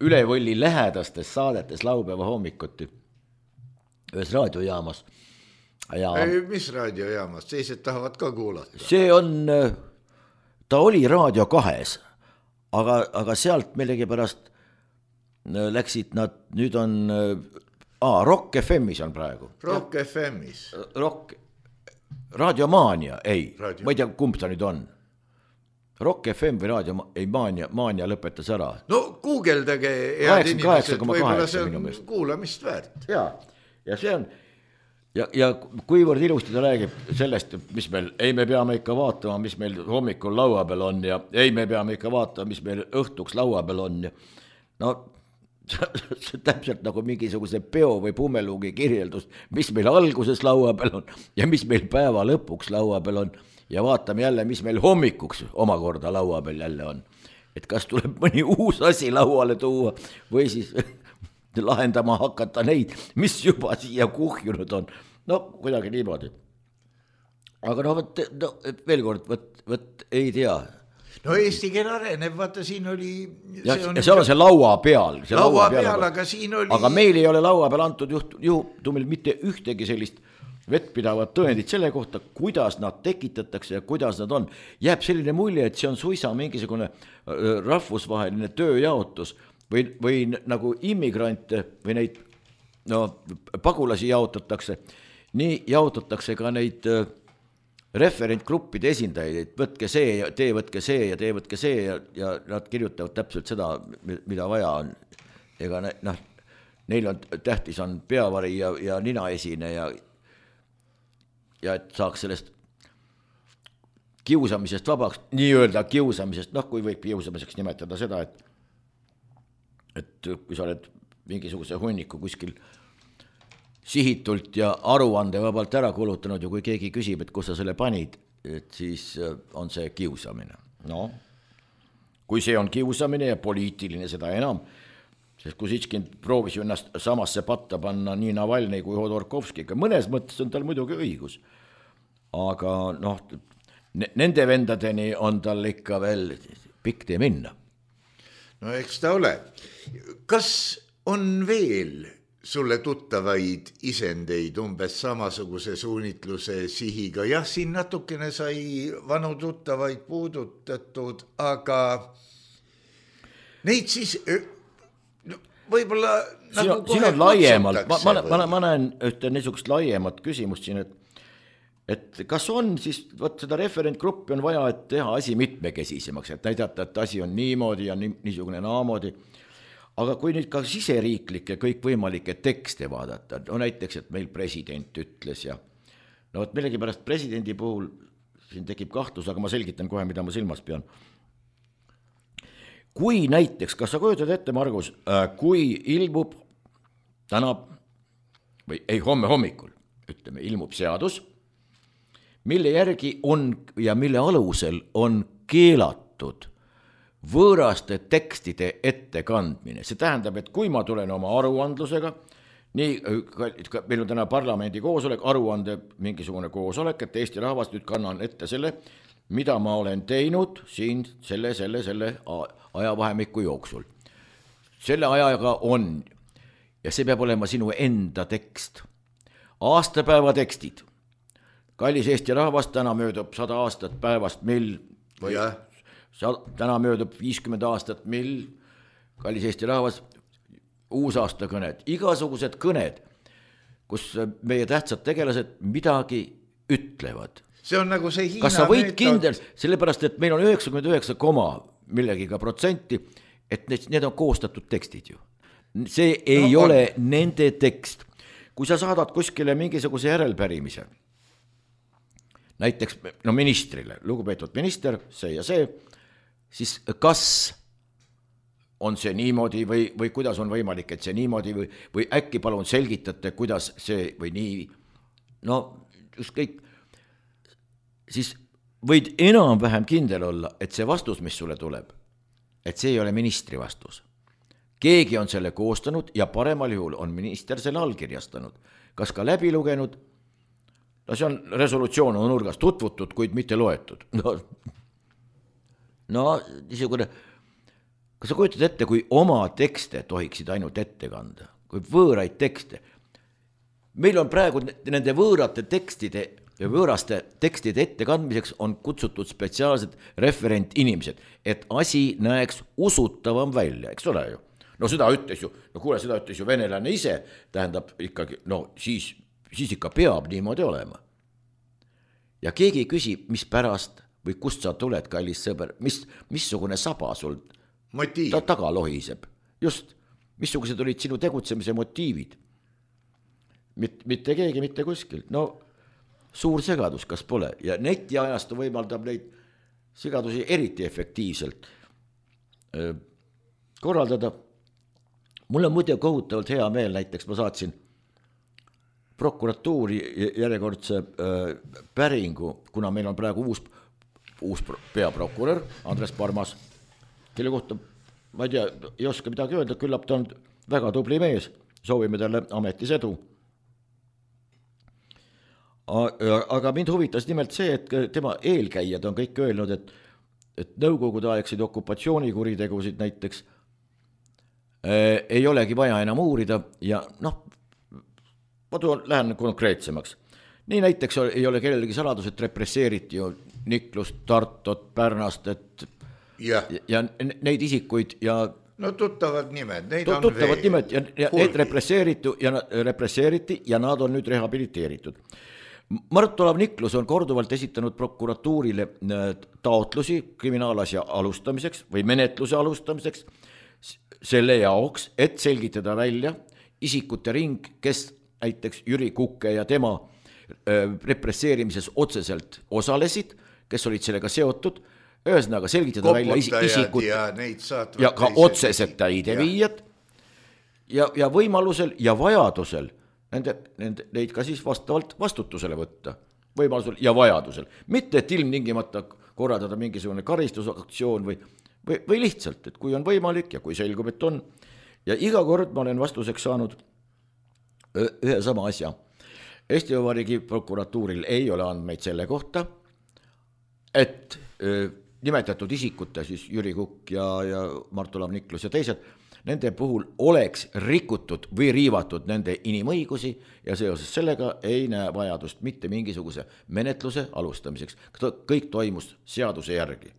ülevõlli lähedastes saadetes laupäeva hommikuti ühes raadiojaamas. Ja ei, mis raadiojaamas? Teised tahavad ka kuulata. See on, ta oli Raadio kahes, aga, aga sealt millegi pärast läksid nad, nüüd on aa, Rock F M-is on praegu. Rock F M-is. Rock, Raadiomaania, ei, Radio. ma ei tea, kumb ta nüüd on. Rock F M või Raadio, ei, Maania, Maania lõpetas ära. No guugeldage head inimesed, võib-olla see on kuulamist väärt. Ja, ja see on, ja, ja kuivõrd ilusti ta räägib sellest, mis meil, ei me peame ikka vaatama, mis meil hommikul laua peal on ja ei me peame ikka vaatama, mis meil õhtuks laua peal on ja no see täpselt nagu mingisuguse peo või pumeluugi kirjeldus, mis meil alguses laua peal on ja mis meil päeva lõpuks laua peal on ja vaatame jälle, mis meil hommikuks omakorda laua peal jälle on. Et kas tuleb mõni uus asi lauale tuua või siis lahendama hakata neid, mis juba siia kuhjunud on. No kuidagi niimoodi. Aga no, võt, no veel kord, võt, võt ei tea. No Eesti keel areneb, vaata siin oli... Ja, see on, ja seal on see laua peal. See laua, laua peal, peal, aga siin oli... Aga meil ei ole laua peal antud juht, juhtumil mitte ühtegi sellist vettpidavat tõendit selle kohta, kuidas nad tekitatakse ja kuidas nad on. Jääb selline mulje, et see on suisa mingisugune rahvusvaheline tööjaotus või, või nagu immigrante või neid no, pagulasi jaotatakse. Nii jaotatakse ka neid... referentgruppide esindajaid, et võtke see ja tee võtke see ja tee võtke see ja, ja nad kirjutavad täpselt seda, mida vaja on. Ega noh, neil on tähtis on peavari ja, ja ninaesine ja, ja et saaks sellest kiusamisest vabaks, nii öelda kiusamisest, noh kui võib kiusamiseks nimetada seda, et, et kui sa oled mingisuguse hunniku kuskil sihitult ja aruande vabalt ära kulutanud ja kui keegi küsib, et kus sa selle panid, et siis on see kiusamine. No, kui see on kiusamine ja poliitiline seda enam, sest Kusitškin proovis ju ennast samasse patta panna nii Navalnõi kui Hodorkovskiga, mõnes mõttes on tal muidugi õigus, aga noh, nende vendadeni on tal ikka veel pikk tee minna. No eks ta ole. Kas on veel sulle tuttavaid isendeid umbes samasuguse suunitluse sihiga? Jah, siin natukene sai vanu tuttavaid puudutatud, aga neid siis no, võib-olla siin nagu on, siin on laiemalt, ma, ma, ma, ma näen ühte niisugust laiemat küsimust siin, et, et kas on siis, võt seda referentgruppi on vaja, et teha asi mitmekesisemaks, et näidata, et asi on niimoodi ja niisugune naamoodi. Aga kui nüüd ka siseriiklikke kõikvõimalikke tekste vaadata, no näiteks, et meil president ütles ja no et millegi pärast presidendi puhul siin tekib kahtlus, aga ma selgitan kohe, mida ma silmas pean. Kui näiteks, kas sa kujutad ette, Margus, kui ilmub täna või ei homme hommikul, ütleme, ilmub seadus, mille järgi on ja mille alusel on keelatud võõraste tekstide ettekandmine. See tähendab, et kui ma tulen oma aruandlusega, nii, meil on täna parlamendi koosolek, aruande mingisugune koosolek, et Eesti rahvas nüüd kannan ette selle, mida ma olen teinud siin selle, selle, selle ajavahemiku jooksul. Selle ajaga on, ja see peab olema sinu enda tekst. Aastapäeva tekstid. Kallis Eesti rahvas, täna möödub sada aastat päevast, mil või... Ja. täna möödub viiskümmend aastat, mil, kallis Eesti rahvas, uusaasta kõned, igasugused kõned, kus meie tähtsad tegelased midagi ütlevad. See on nagu see Hiina kas sa võid meetod... kindel, sellepärast, et meil on üheksakümmend üheksa koma millegiga protsenti, et need, need on koostatud tekstid ju. See ei no, ole on. Nende tekst. Kui sa saadad kuskile mingisuguse järelpärimise, näiteks no ministrile, lugupeetud minister, see ja see, siis kas on see niimoodi või, või kuidas on võimalik, et see niimoodi või, või äkki palun selgitate, kuidas see või nii, no just kõik, siis võid enam-vähem kindel olla, et see vastus, mis sulle tuleb, et see ei ole ministri vastus. Keegi on selle koostanud ja paremal juhul on minister selle allkirjastanud. Kas ka läbi lugenud? No see on resolutsioon on nurgas tutvutud, kuid mitte loetud. No, no niisugune, kas sa kujutad ette, kui oma tekste tohiksid ainult ette kanda, kui võõraid tekste. Meil on praegu nende võõrate tekstide ja võõraste tekstide ettekandmiseks on kutsutud spetsiaalsed referentinimesed, et asi näeks usutavam välja, eks ole ju. No seda ütles ju, no kuule, seda ütles ju venelane ise, tähendab ikkagi, no siis, siis ikka peab niimoodi olema. Ja keegi küsib, mis pärast või kust sa tuled, kallis sõber, mis, missugune saba sul ta taga lohiseb. Just, missugused olid sinu tegutsemise motiivid. Mit, mitte keegi, mitte kuskil. No suur segadus, kas pole. Ja netiajastu võimaldab neid segadusi eriti efektiivselt öö, korraldada. Mul on muide kohutavalt hea meel, näiteks ma saatsin prokuratuuri järjekordse öö, päringu, kuna meil on praegu uus, uus peaprokurör Andres Parmas, kelle kohta, ma ei tea, ei oska midagi öelda, küllap ta on väga tubli mees, soovime talle ametis edu. Aga mind huvitas nimelt see, et tema eelkäijad on kõik öelnud, et, et nõukogude aegsid okupatsioonikuritegusid näiteks äh, ei olegi vaja enam uurida ja noh, ma tuon, lähen konkreetsemaks. Nii näiteks ei ole kellelegi saladus, et represseeriti ju Niklust, Tartot, Pärnastet ja. ja neid isikuid ja no tuttavad nimed, neid on tuttavad veel. Nimed ja, ja need represseeriti ja, represseeriti ja nad on nüüd rehabiliteeritud. Mart-Olav Niklus on korduvalt esitanud prokuratuurile taotlusi kriminaalasja alustamiseks või menetluse alustamiseks selle jaoks, et selgitada välja isikute ring, kes näiteks Jüri Kukke ja tema represseerimises otseselt osalesid, kes olid sellega seotud, ühesõnaga selgitada välja isikut ja, ja ka otseselt täideviijad ja, ja võimalusel ja vajadusel Nende, nende, neid ka siis vastavalt vastutusele võtta, võimalusel ja vajadusel. Mitte, et ilmtingimata korraldada mingisugune karistusaktsioon või, või, või lihtsalt, et kui on võimalik ja kui selgub, et on. Ja iga kord ma olen vastuseks saanud ühe sama asja. Eesti Vabariigi prokuratuuril ei ole andmeid selle kohta, et öö, nimetatud isikute, siis Jüri Kukk ja, ja Mart-Olav Niklus ja teised, nende puhul oleks rikutud või riivatud nende inimõigusi ja seoses sellega ei näe vajadust mitte mingisuguse menetluse alustamiseks. Kõik toimus seaduse järgi.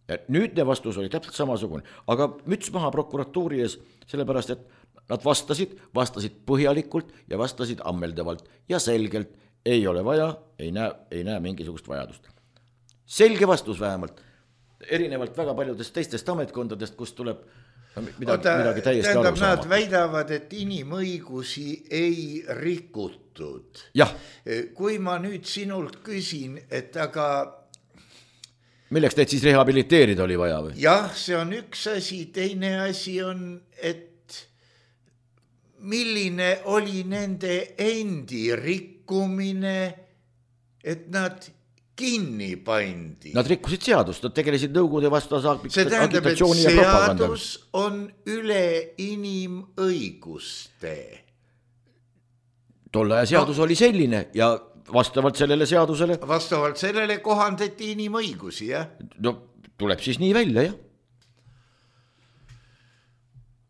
Ja nüüdne vastus oli täpselt samasugune, aga müts maha prokuratuuri ees, sellepärast, et nad vastasid, vastasid põhjalikult ja vastasid ammeldavalt ja selgelt ei ole vaja, ei näe, ei näe mingisugust vajadust. Selge vastus vähemalt, erinevalt väga paljudest teistest ametkondadest, kus tuleb midagi, Oota, midagi täiesti tähendab, aru saama. Nad väidavad, et inimõigusi ei rikutud. Jah. Kui ma nüüd sinult küsin, et aga... Milleks teid siis rehabiliteerida oli vaja või? Jah, see on üks asi, teine asi on, et milline oli nende endi rikkumine, et nad... kinni pandi. Nad rikkusid seadust, nad tegelesid nõukogude vastase agitatsiooni ja propaganda. See seadus on üle inimõiguste. Tolle aja seadus no, oli selline ja vastavalt sellele seadusele... Vastavalt sellele kohandati inimõigusi, jah? No tuleb siis nii välja, jah.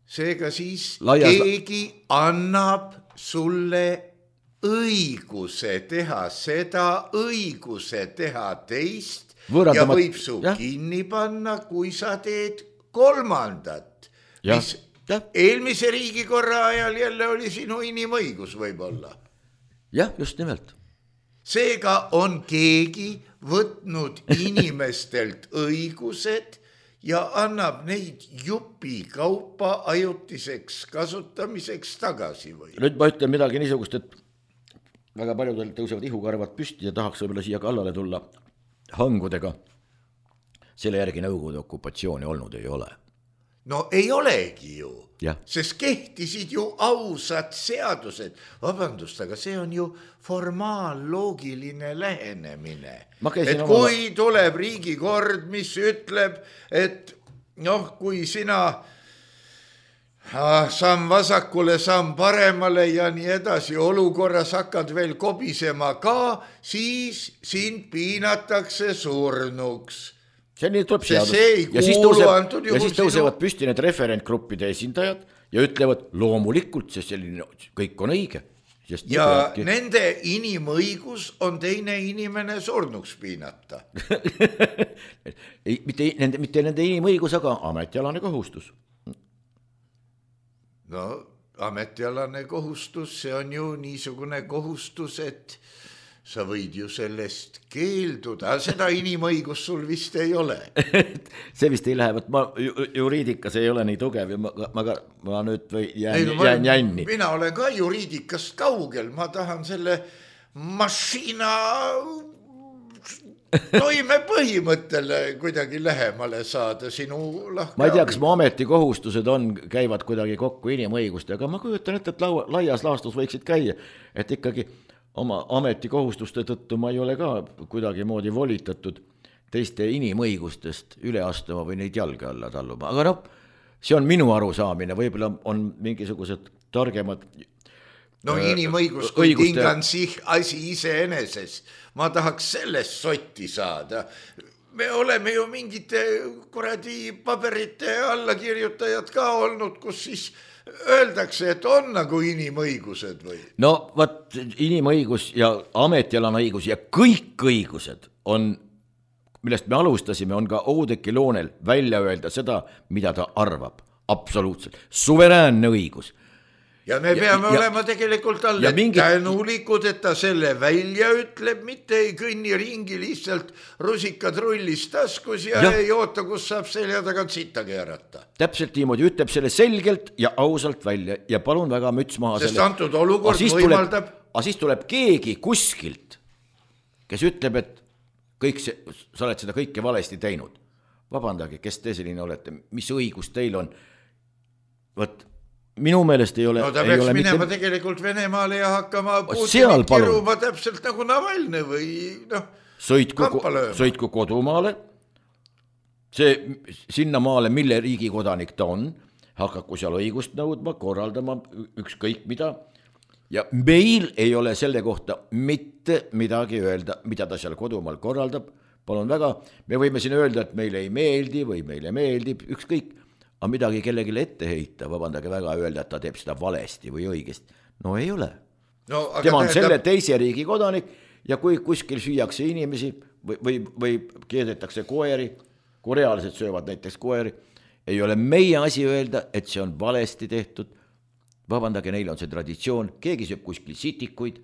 Seega siis Laias... keegi annab sulle õiguse teha seda, õiguse teha teist Võõrandamat... ja võib su ja? kinni panna, kui sa teed kolmandat, ja. mis ja. eelmise riigikorra ajal jälle oli sinu inimõigus võib-olla. jah, just nimelt. Seega on keegi võtnud inimestelt õigused ja annab neid jupi kaupa ajutiseks kasutamiseks tagasi või? Nüüd ma ütlen midagi niisugust, et väga paljudel tõusevad ihukarvad püsti ja tahaks võib-olla siia kallale tulla hangudega. Selle järgi Nõukogude okupatsiooni olnud ei ole. No ei olegi ju, ja. Sest kehtisid ju ausad seadused. Vabandust, aga see on ju formaaloogiline lähenemine. Et kui oma... tuleb riigikord, mis ütleb, et noh, kui sina ah, samm vasakule, samm paremale ja nii edasi, olukorras hakkad veel kobisema ka, siis sind piinatakse surnuks. See nii tuleb seadus. Ja siis, tõuseb, ja siis tõusevad püsti need referentgruppide esindajad ja ütlevad loomulikult, sest selline kõik on õige. Sest ja peabki... nende inimõigus on teine inimene surnuks piinata. mitte, nende, mitte nende inimõigus, aga ametialane kohustus. No ametialane kohustus, see on ju niisugune kohustus, et sa võid ju sellest keelduda, seda inimõigus sul vist ei ole. see vist ei lähe, ma juriidikas ei ole nii tugev ja ma, ma, ma nüüd või jään, ei, no, ma, jään jänni. Mina olen ka juriidikast kaugel, ma tahan selle mašina toime põhimõttele kuidagi lähemale saada sinu lahke. Ma ei tea, kas mu ametikohustused on, käivad kuidagi kokku inimõiguste, aga ma kujutan ette, et laua, laias laastus võiksid käia, et ikkagi oma ametikohustuste tõttu ma ei ole ka kuidagi moodi volitatud teiste inimõigustest üle astuma või neid jalge alla talluma. Aga noh, see on minu arusaamine, võib-olla on mingisugused targemad no inimõigus kui õiguste... tingan sih asi iseeneses. Ma tahaks sellest sotti saada. Me oleme ju mingite kuradi paberite allakirjutajad ka olnud, kus siis öeldakse, et on nagu inimõigused või? No vaat inimõigus ja ametialane õigus ja kõik õigused on, millest me alustasime, on ka Oudekki Loonel välja öelda seda, mida ta arvab. Absoluutselt. Suveräänne õigus. Ja me peame ja, olema tegelikult alle mingit... tänulikud, et ta selle välja ütleb, mitte ei kõnni ringi lihtsalt rusikad rullis taskus ja, ja ei oota, kus saab selja tagant sitta keerata. Täpselt niimoodi, ütleb selle selgelt ja ausalt välja ja palun väga müts maha. Sest selle... antud olukord võimaldab... Aga siis tuleb keegi kuskilt, kes ütleb, et kõik see, sa oled seda kõike valesti teinud. Vabandage, kes te selline olete, mis õigus teil on? Võt... Minu meelest ei ole... No ta peaks minema mitte... tegelikult Venemaale ja hakkama Putinit kiruma täpselt nagu Navalne või noh, kampa lööma. Sõitku kodumaale, see sinna maale, mille riigikodanik ta on, hakaku seal õigust nõudma, korraldama ükskõik mida ja meil ei ole selle kohta mitte midagi öelda, mida ta seal kodumaal korraldab. Palun väga, me võime siin öelda, et meile ei meeldi või meile meeldib, ükskõik. Aga midagi kellelegi ette heita, vabandage väga, öelda, et ta teeb seda valesti või õigesti. No ei ole. No, tema on tähendab... selle teise riigi kodanik ja kui kuskil süüakse inimesi või, või, või keedetakse koeri, kui reaalselt söövad näiteks koeri, ei ole meie asi öelda, et see on valesti tehtud. Vabandage, neil on see traditsioon, keegi sööb kuskil sitikuid,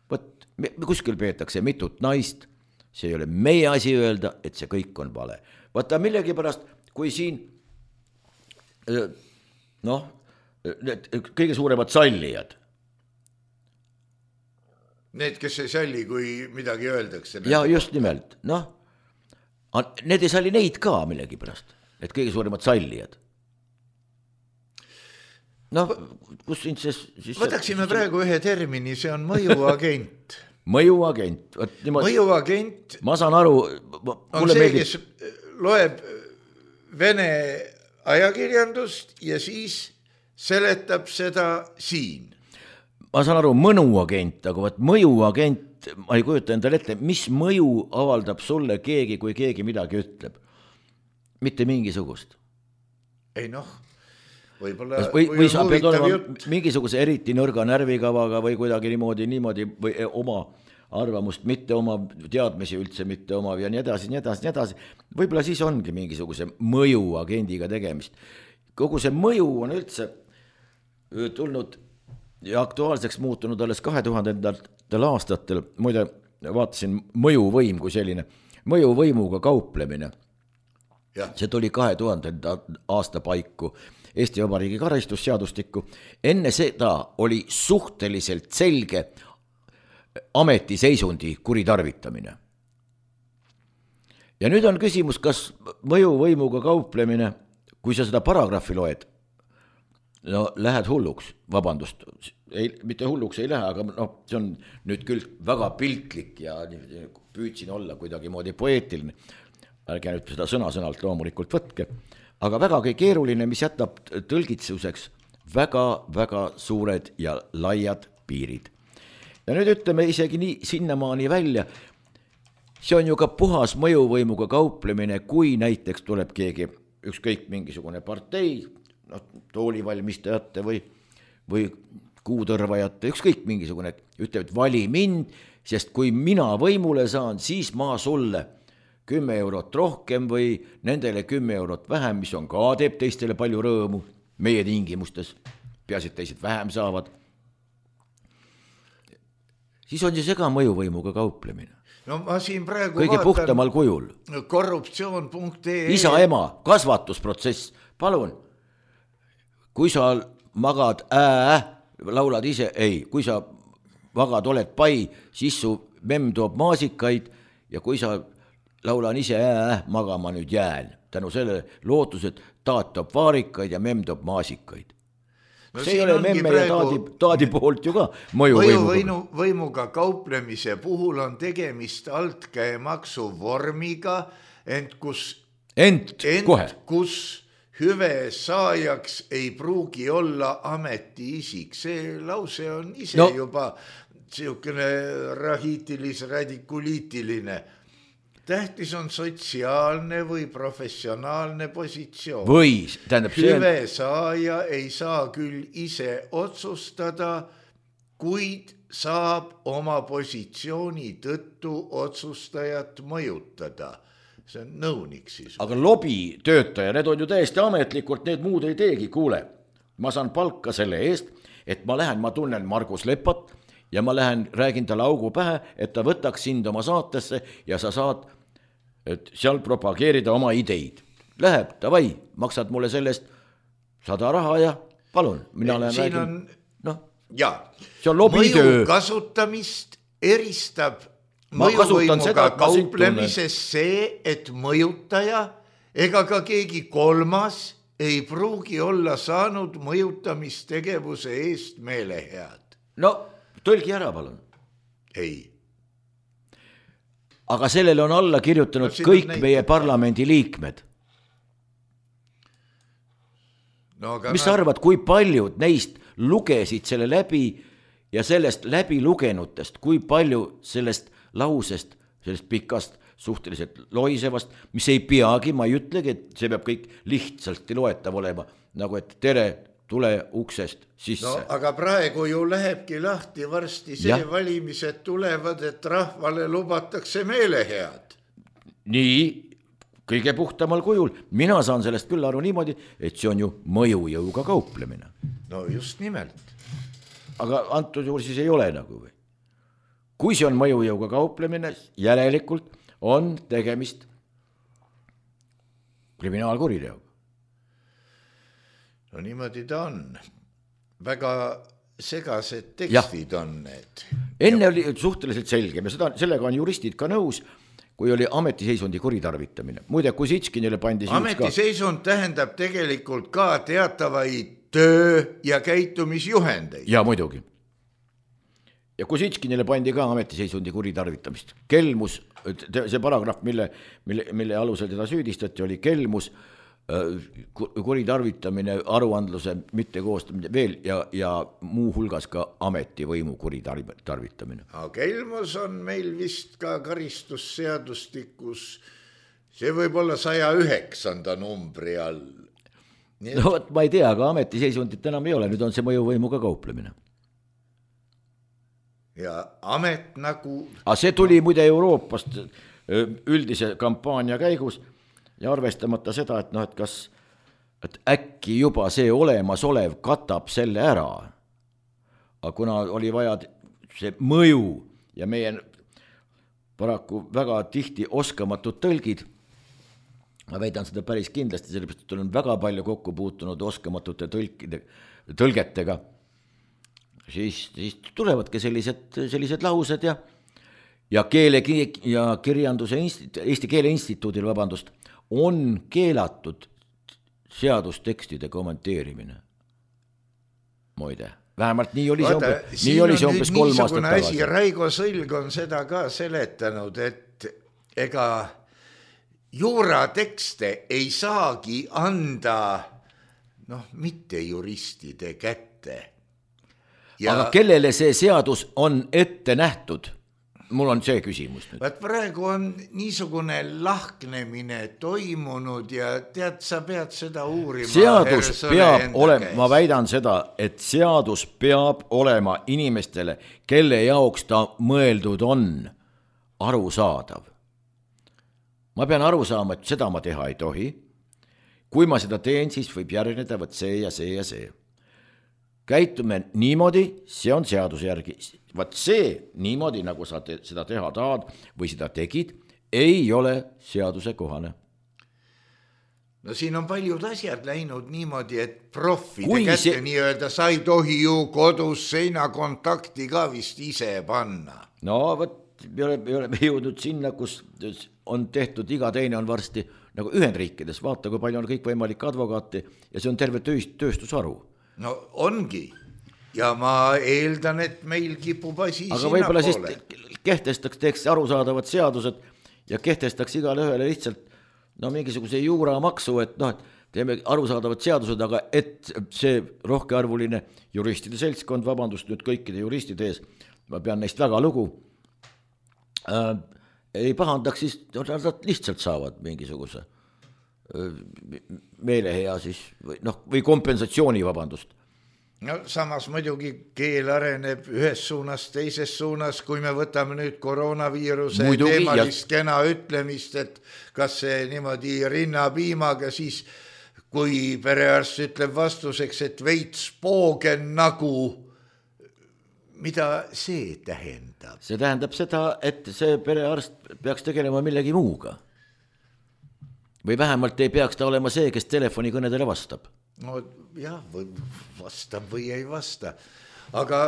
võt, kuskil peetakse mitut naist, see ei ole meie asi öelda, et see kõik on vale. Võta millegi pärast, kui siin noh, need kõige suuremad sallijad. Need, kes ei salli, kui midagi öeldakse. Ja just nimelt, noh, need ei salli neid ka millegi pärast, need kõige suuremad sallijad. Noh, kus siin see... Siis võtaksime see... praegu ühe termini, see on mõjuagent. mõjuagent. Mõjuagent ma saan aru... on see, meeldib... kes loeb Vene ajakirjandust ja siis seletab seda siin. Ma saan aru, mõnuagent, aga võt mõjuagent, ma ei kujuta endale ette, mis mõju avaldab sulle keegi, kui keegi midagi ütleb? Mitte mingisugust. Ei noh, Võibolla, või, või sa pead olema jutt. Mingisuguse eriti nõrga närvikavaga või kuidagi niimoodi, niimoodi või oma arvamust, mitte oma teadmisi üldse, mitte oma ja nii edasi, nii edasi, nii edasi. Võib-olla siis ongi mingisuguse mõjuagendiga tegemist. Kogu see mõju on üldse tulnud ja aktuaalseks muutunud alles kahe tuhandendatel aastatel. Muide, vaatasin mõjuvõim kui selline, mõjuvõimuga kauplemine. Ja. See tuli kahe tuhandenda aasta paiku Eesti Vabariigi karistusseadustikku. Enne seda oli suhteliselt selge ametiseisundi kuritarvitamine. Ja nüüd on küsimus, kas mõjuvõimuga kauplemine, kui sa seda paragrahvi loed, no lähed hulluks, vabandust, ei, mitte hulluks ei lähe, aga no, see on nüüd küll väga piltlik ja püüdsin olla kuidagi moodi poeetiline. Ärge nüüd seda sõna-sõnalt loomulikult võtke, aga vägagi keeruline, mis jätab tõlgitsuseks väga-väga suured ja laiad piirid. Ja nüüd ütleme isegi nii sinnamaani välja, see on ju ka puhas mõjuvõimuga kauplemine, kui näiteks tuleb keegi ükskõik mingisugune partei, no, toolivalmistajate või, või kuutõrvajate, ükskõik mingisugune, ütleb, et vali mind, sest kui mina võimule saan, siis ma sulle kümme eurot rohkem või nendele kümme eurot vähem, mis on ka teeb teistele palju rõõmu meie tingimustes, peaasi, et teised vähem saavad. Siis on see ka mõjuvõimuga kauplemine. No ma siin praegu kõige vaatan puhtamal kujul. korruptsioon punkt ee isa, ema, kasvatusprotsess. Palun, kui sa magad ää, laulad ise, ei, kui sa magad, oled pai, siis su memm toob maasikaid ja kui sa laulan ise ää, magama nüüd jään. Tänu selle lootused taat toob vaarikaid ja memm toob maasikaid. No see ei ole memme ja taadi, taadi poolt ju ka mõjuvõimuga. Võimuga kauplemise puhul on tegemist altkäemaksu vormiga, ent kus, ent, ent kohe. kus hüve saajaks ei pruugi olla ametiisik. See lause on ise no. juba siukene rahiitilis-radikuliitiline. Tähtis on sotsiaalne või professionaalne positsioon. Või, tähendab see... Hüve saaja ei saa küll ise otsustada, kuid saab oma positsiooni tõttu otsustajat mõjutada. See on nõunik siis. Aga lobitöötaja, need on ju täiesti ametlikult, need muud ei teegi, kuule. Ma saan palka selle eest, et ma lähen, ma tunnen Margus Lepat ja ma lähen, räägin talle augu pähe, et ta võtaks sind oma saatesse ja sa saad et seal propageerida oma ideid. Läheb, davai, maksad mulle sellest sada raha ja palun, mina olen räägin. On... No, ja, see on lobitöö. Mõju kasutamist eristab mõjuvõimuga kauplemises see, et mõjutaja ega ka keegi kolmas ei pruugi olla saanud mõjutamistegevuse eest meelehead. No, tõlgi ära, palun. Ei. Aga sellele on alla kirjutanud no, kõik meie parlamendi liikmed. No, mis sa arvad, kui paljud neist lugesid selle läbi ja sellest läbi lugenutest, kui palju sellest lausest, sellest pikast, suhteliselt loisevast, mis ei peagi, ma ei ütlegi, et see peab kõik lihtsalt loetav olema, nagu et tere, tule uksest sisse. No, aga praegu ju lähebki lahti varsti see ja. Valimised tulevad, et rahvale lubatakse meelehead. Nii, kõige puhtamal kujul. Mina saan sellest küll aru niimoodi, et see on ju mõjujõuga kauplemine. No just nimelt. Aga antud juhul siis ei ole nagu või? Kui see on mõjujõuga kauplemine, järelikult on tegemist kriminaalkuriteoga. No niimoodi ta on. Väga segased tekstid ja. On need. Enne ja. Oli suhteliselt selge, ja seda, sellega on juristid ka nõus, kui oli ametiseisundi kuritarvitamine. Muide, Kusitškinile pandi... Ametiseisund ka... tähendab tegelikult ka teatavaid töö- ja käitumisjuhendeid. Ja muidugi. Ja Kusitškinile pandi ka ametiseisundi kuritarvitamist. Kelmus, see paragrahv, mille, mille, mille alusel teda süüdistati, oli kelmus, kuritarvitamine, aruandluse mitte koostamine veel ja, ja muu hulgas ka ametivõimu kuritarvitamine. Aga kelmus on meil vist ka karistusseadustikus, see võib olla saja üheksanda numbri all. no võt, ma ei tea, aga ametiseisundit enam ei ole, nüüd on see mõjuvõimuga kauplemine. Ja amet nagu... Aga see tuli muide Euroopast üldise kampaania käigus ja arvestamata seda, et, no, et kas et äkki juba see olemasolev katab selle ära. Aga kuna oli vaja see mõju ja meie paraku väga tihti oskamatud tõlgid, ma väidan seda päris kindlasti, sellepärast, et olen väga palju kokku puutunud oskamatute tõlkide, tõlgetega, siis, siis tulevadki sellised, sellised laused ja, ja, keele, ja kirjanduse institu, Eesti Keele Instituudil, vabandust, on keelatud seadustekstide kommenteerimine. Moide. Vähemalt nii oli see, Vaata, umbes, nii oli see umbes kolm aastat tagasi. Asi, Raigo Sõlg on seda ka seletanud, et ega juuratekste ei saagi anda noh, mitte juristide kätte. Ja... Aga kellele see seadus on ette nähtud? Mul on see küsimus nüüd. Vaat praegu on niisugune lahknemine toimunud ja tead, sa pead seda uurima. Seadus peab olema, ma väidan seda, et seadus peab olema inimestele, kelle jaoks ta mõeldud on, arusaadav. Ma pean aru saama, et seda ma teha ei tohi. Kui ma seda teen, siis võib järgneda võt see ja see ja see. Käitume niimoodi, see on seaduse järgi. Vaat see niimoodi, nagu sa te, seda teha tahad või seda tegid, ei ole seaduse kohane. No siin on paljud asjad läinud niimoodi, et profide Kui kätte see... nii öelda, sa ei tohi ju kodus seinakontakti ka vist ise panna. No võt, me oleme jõudnud sinna, kus on tehtud, iga teine on varsti nagu Ühendriikides, vaata, kui palju on kõik võimalik advokaati ja see on terve tööstusharu. No ongi. Ja ma eeldan, et meil kipub asi aga sinna võib-olla poole. Siis kehtestaks, teeks arusaadavad seadused ja kehtestaks igale ühele lihtsalt no mingisuguse juuramaksu, et noh, et teeme arusaadavad seadused, aga et see rohkearvuline juristide seltskond, vabandust nüüd kõikide juristide ees, ma pean neist väga lugu, äh, ei pahandaks, siis nad lihtsalt saavad mingisuguse meelehea siis või, noh, või kompensatsiooni, vabandust. No samas muidugi keel areneb ühes suunas, teises suunas, kui me võtame nüüd koroonaviiruse muidugi, teemalist ja... kena ütlemist, et kas see niimoodi rinnapiimaga, siis kui perearst ütleb vastuseks, et veits poogen nagu, mida see tähendab? See tähendab seda, et see perearst peaks tegelema millegi muuga. Või vähemalt ei peaks ta olema see, kes telefonikõnedele vastab. No jah, või vastab või ei vasta. Aga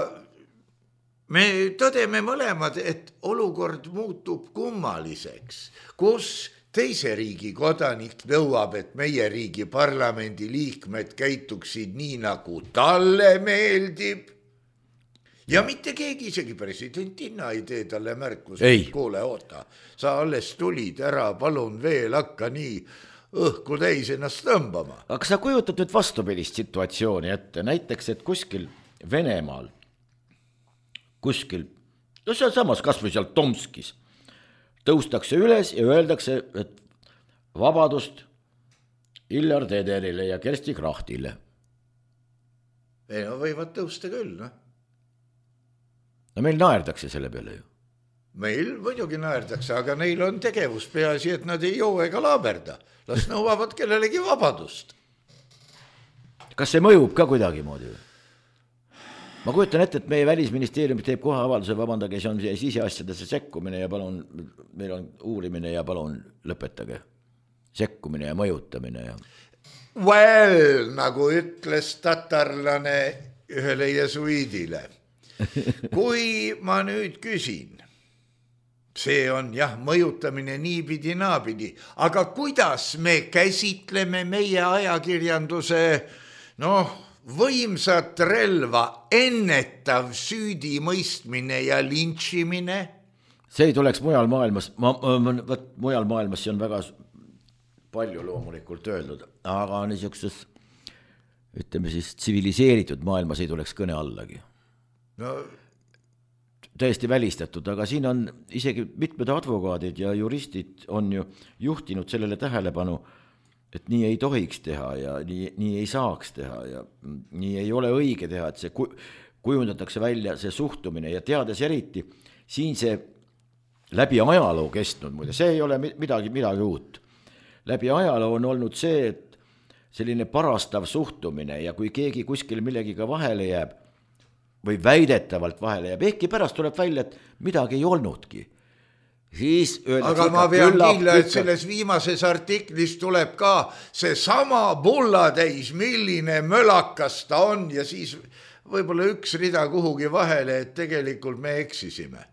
me tõdeme mõlemad, et olukord muutub kummaliseks, kus teise riigi kodanik nõuab, et meie riigi parlamendi liikmed käituksid nii, nagu talle meeldib. Ja mitte keegi, isegi presidentina ei tee talle märkus, et kuule, oota, sa alles tulid ära, palun veel hakka nii õhku täis ennast tõmbama. Aga sa kujutad nüüd vastupidist situatsiooni ette, näiteks, et kuskil Venemaal, kuskil, no seal samas kas või seal Tomskis, tõustakse üles ja öeldakse, et vabadust Illar Tederile ja Kersti Krahtile. Ei, no võivad tõusta küll, noh. No meil naerdakse selle peale ju. Meil muidugi naerdakse, aga neil on tegevus peaasi, et nad ei joo ega laaberda. Las nõuavad kellelegi vabadust. Kas see mõjub ka kuidagi moodi? Ma kujutan ette, et meie välisministeerium teeb kohe avalduse, vabandage, see on siseasjadesse sekkumine ja palun, meil on uurimine ja palun lõpetage. Sekkumine ja mõjutamine. Ja... Well, nagu ütles tatarlane ühele jesuiidile. Kui ma nüüd küsin, see on jah, mõjutamine niipidi naapidi, aga kuidas me käsitleme meie ajakirjanduse noh, võimsat relva, ennetav süüdimõistmine ja lintšimine? See ei tuleks mujal maailmas, ma, ma, võt, mujal maailmas see on väga palju loomulikult öeldud, aga niisuguses, ütleme siis, tsiviliseeritud maailmas ei tuleks kõne allagi. No, täiesti välistatud, aga siin on isegi mitmed advokaadid ja juristid on ju juhtinud sellele tähelepanu, et nii ei tohiks teha ja nii, nii ei saaks teha ja nii ei ole õige teha, et see kujundatakse välja see suhtumine ja teades eriti, siin see läbi ajaloo kestnud, muide, see ei ole midagi, midagi uut. Läbi ajaloo on olnud see, et selline parastav suhtumine ja kui keegi kuskil millegiga vahele jääb või väidetavalt vahele jääb, ehkki pärast tuleb välja, et midagi ei olnudki. Siis aga ma pean kindla, et selles viimases artiklis tuleb ka see sama bullatäis, milline mölakas ta on ja siis võib-olla üks rida kuhugi vahele, et tegelikult me eksisime.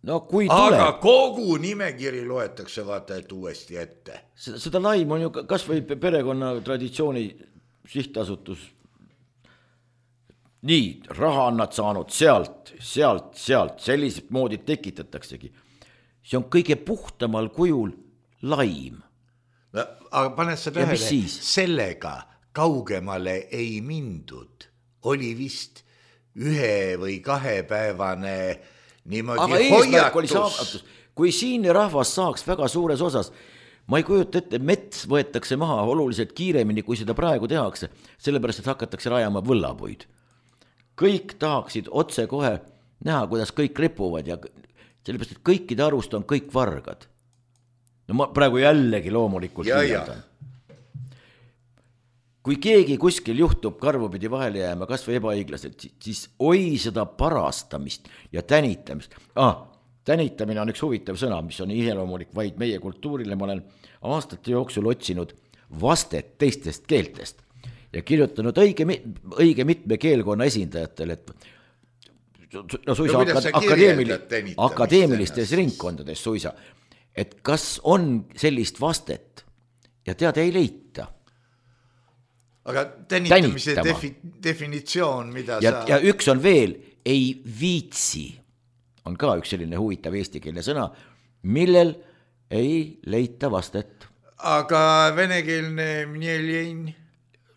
No, kui tuleb. Aga kogu nimekiri loetakse vaata, et uuesti ette. Seda, seda laim on ju kas või perekonna traditsiooni sihtasutus. Nii, raha on nad saanud sealt, sealt, sealt, sellised moodid tekitataksegi. See on kõige puhtamal kujul laim. No, aga paned sa tähele, sellega kaugemale ei mindud. Oli vist ühe või kahepäevane niimoodi hoiatus. Kui siin rahvas saaks väga suures osas, ma ei kujuta ette, mets võetakse maha oluliselt kiiremini, kui seda praegu tehakse, sellepärast, et hakatakse rajama võllapuid. Kõik tahaksid otse kohe näha, kuidas kõik ripuvad ja sellepärast, et kõikide arust on kõik vargad. No ma praegu jällegi loomulikult liialdan. Kui keegi kuskil juhtub karvupidi vahele jääma, kas või ebaõiglaselt, siis oi seda parastamist ja tänitamist. Ah, tänitamine on üks huvitav sõna, mis on iseloomulik vaid meie kultuurile. Ma olen aastate jooksul otsinud vastet teistest keeltest ja kirjutanud õige, õige mitme keelkonna esindajatele, et no suisa no, akadeemili, akadeemilistes ringkondades suisa, et kas on sellist vastet ja tead ei leita. Aga tänitamise defi, definitsioon, mida ja, sa... Ja üks on veel, ei viitsi, on ka üks selline huvitav eestikeelne sõna, millel ei leita vastet. Aga venekeelne mnjeljen?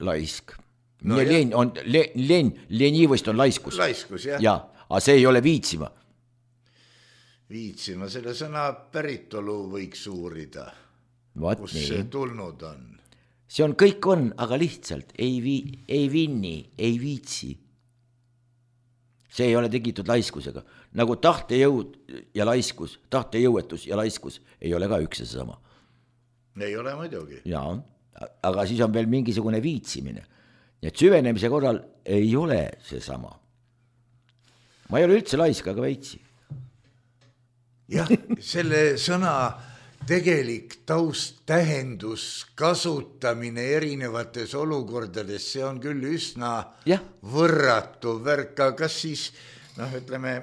Laisk. No mnjeljen on, le, len, lenivõst on laiskus. Laiskus, jah. Ja, aga see ei ole viitsima. Viitsima, selle sõna päritolu võiks uurida. Vaat kus nii. See tulnud on. See on kõik on, aga lihtsalt ei, vi, ei vinni, ei viitsi. See ei ole tegitud laiskusega. Nagu tahtejõud ja laiskus, tahtejõuetus ja laiskus ei ole ka üks ja sama. Ei ole muidugi. Jaa, aga siis on veel mingisugune viitsimine. Et süvenemise korral ei ole see sama. Ma ei ole üldse laisk, aga veitsi. Jah, selle sõna... tegelik taust, tähendus, kasutamine erinevates olukordades, see on küll üsna ja. Võrratu värka, kas siis, noh, ütleme,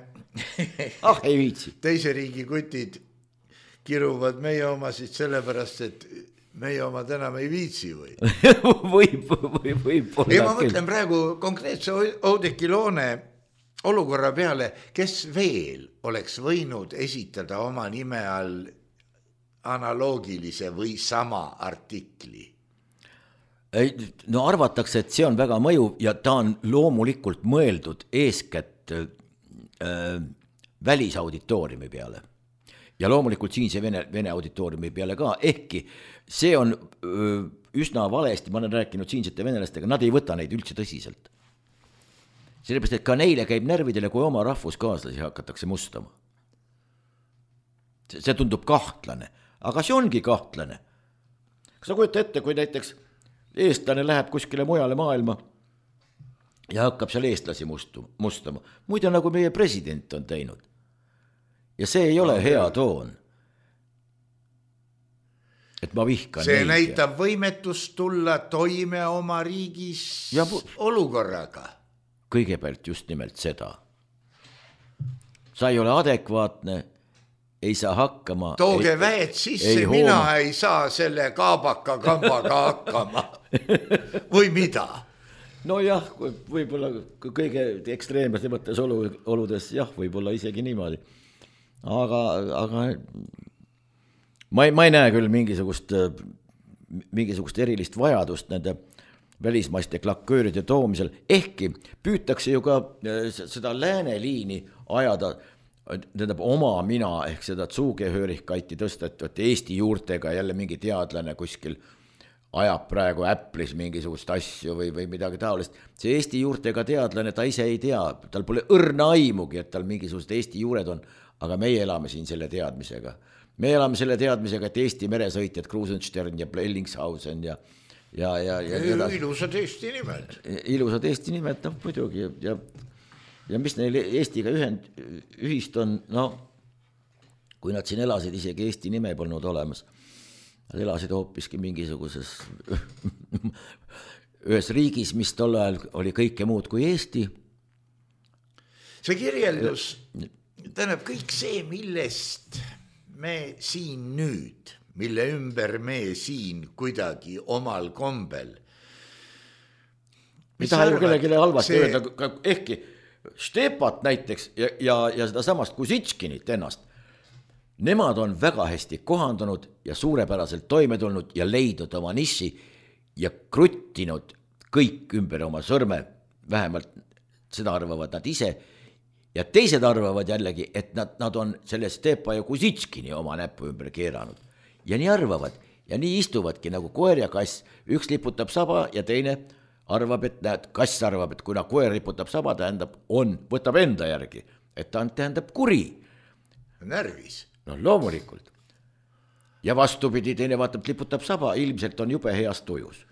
ah, ei viitsi. Teise riigi kutid kiruvad meie omasid sellepärast, et meie omad enam ei viitsi või? võib, võib, võib olla. Ja ma mõtlen praegu konkreetse Oudekki Loone olukorra peale, kes veel oleks võinud esitada oma nime all analoogilise või sama artikli? No arvatakse, et see on väga mõjuv ja ta on loomulikult mõeldud eeskätt äh, välisauditooriumi peale. Ja loomulikult siin see Vene, Vene auditooriumi peale ka, ehkki see on öö, üsna valesti, ma olen rääkinud siinsete venelastega, nad ei võta neid üldse tõsiselt. Sellepärast, et ka neile käib närvidele, kui oma rahvuskaaslasi hakatakse mustama. See, see tundub kahtlane. Aga see ongi kahtlane. Kas sa kujuta ette, kui näiteks eestlane läheb kuskile mujale maailma ja hakkab seal eestlasi mustu, mustama. Muide, nagu meie president on teinud. Ja see ei ole no, hea toon. Et ma vihkan see neid. Näitab võimetust tulla toime oma riigis ja, olukorraga. Kõigepealt just nimelt seda. Sa ei ole adekvaatne, ei saa hakkama. Tooge ei, väed sisse, ei mina hooma. Ei saa selle kaabaka kambaga hakkama. Või mida? No jah, võib-olla kõige ekstreemsemates oludes, jah, võib-olla isegi niimoodi. Aga, aga ma ei, ma ei näe küll mingisugust, mingisugust erilist vajadust nende välismaiste klakööride toomisel. Ehkki püütakse ju ka seda lääneliini ajada tähendab oma mina ehk seda Zugehörigkeiti tõsta, et Eesti juurtega jälle mingi teadlane kuskil ajab praegu Apple'is mingisugust asju või, või midagi taolist. See Eesti juurtega teadlane, ta ise ei tea, tal pole õrna aimugi, et tal mingisugused Eesti juured on, aga meie elame siin selle teadmisega. Me elame selle teadmisega, et Eesti meresõitjad, Krusenstern ja Bellingshausen ja ja, ja, ja, ja ilusad Eesti nimed. Ilusad Eesti nimed, noh muidugi ja, ja mis neil Eestiga ühend, ühist on, no kui nad siin elasid, isegi Eesti nime polnud olemas. Nad elasid hoopiski mingisuguses ühes riigis, mis tol ajal oli kõike muud kui Eesti. See kirjeldus, tähendab kõik see, millest me siin nüüd, mille ümber me siin kuidagi omal kombel. Ei taha ju kellelegi halvasti see... öelda, ehkki Stepat näiteks ja, ja, ja seda samast Kusitškinit ennast, nemad on väga hästi kohandunud ja suurepäraselt toime tulnud ja leidnud oma nissi ja kruttinud kõik ümber oma sõrme, vähemalt seda arvavad nad ise, ja teised arvavad jällegi, et nad, nad on selle Stepa ja Kusitškini oma näppu ümber keeranud. Ja nii arvavad ja nii istuvadki nagu koer ja kass, üks liputab saba ja teine arvab, et näed, kass arvab, et kuna koer liputab saba, tähendab, on, võtab enda järgi, et ta tähendab kuri. Närvis. No loomulikult. Ja vastupidi, teine vaatab, liputab saba, ilmselt on jube heas tujus.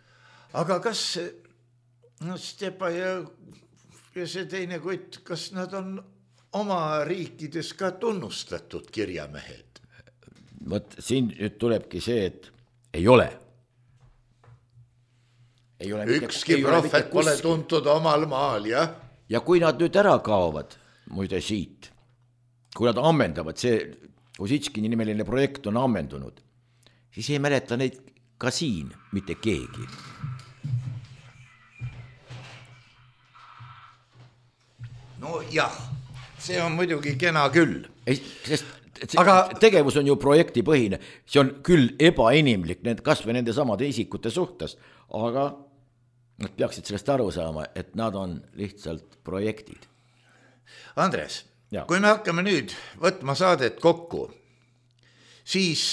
Aga kas no Stepa ja, ja see teine kutt, kas nad on oma riikides ka tunnustatud kirjamehed? Võt, siin nüüd tulebki see, et ei ole. Ei ole Ükski mitte, prohvet pole tuntud omal maal, jah? Ja kui nad nüüd ära kaovad, muide siit, kui nad ammendavad, see Kusitškini nimeline projekt on ammendunud, siis ei mäleta neid ka siin mitte keegi. No jah, see on muidugi kena küll. Ei, sest aga... tegevus on ju projektipõhine, see on küll ebainimlik need, kas või nende samade isikute suhtes, aga nad peaksid sellest aru saama, et nad on lihtsalt projektid. Andres, ja. Kui me hakkame nüüd võtma saadet kokku, siis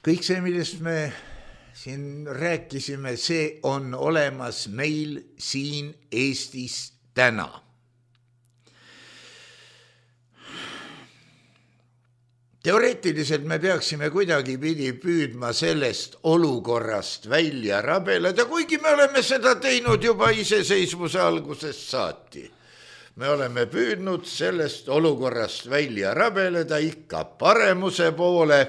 kõik see, millest me siin rääkisime, see on olemas meil siin Eestis täna. Teoreetiliselt me peaksime kuidagi pidi püüdma sellest olukorrast välja rabeleda, kuigi me oleme seda teinud juba iseseisvuse algusest saati. Me oleme püüdnud sellest olukorrast välja rabeleda ikka paremuse poole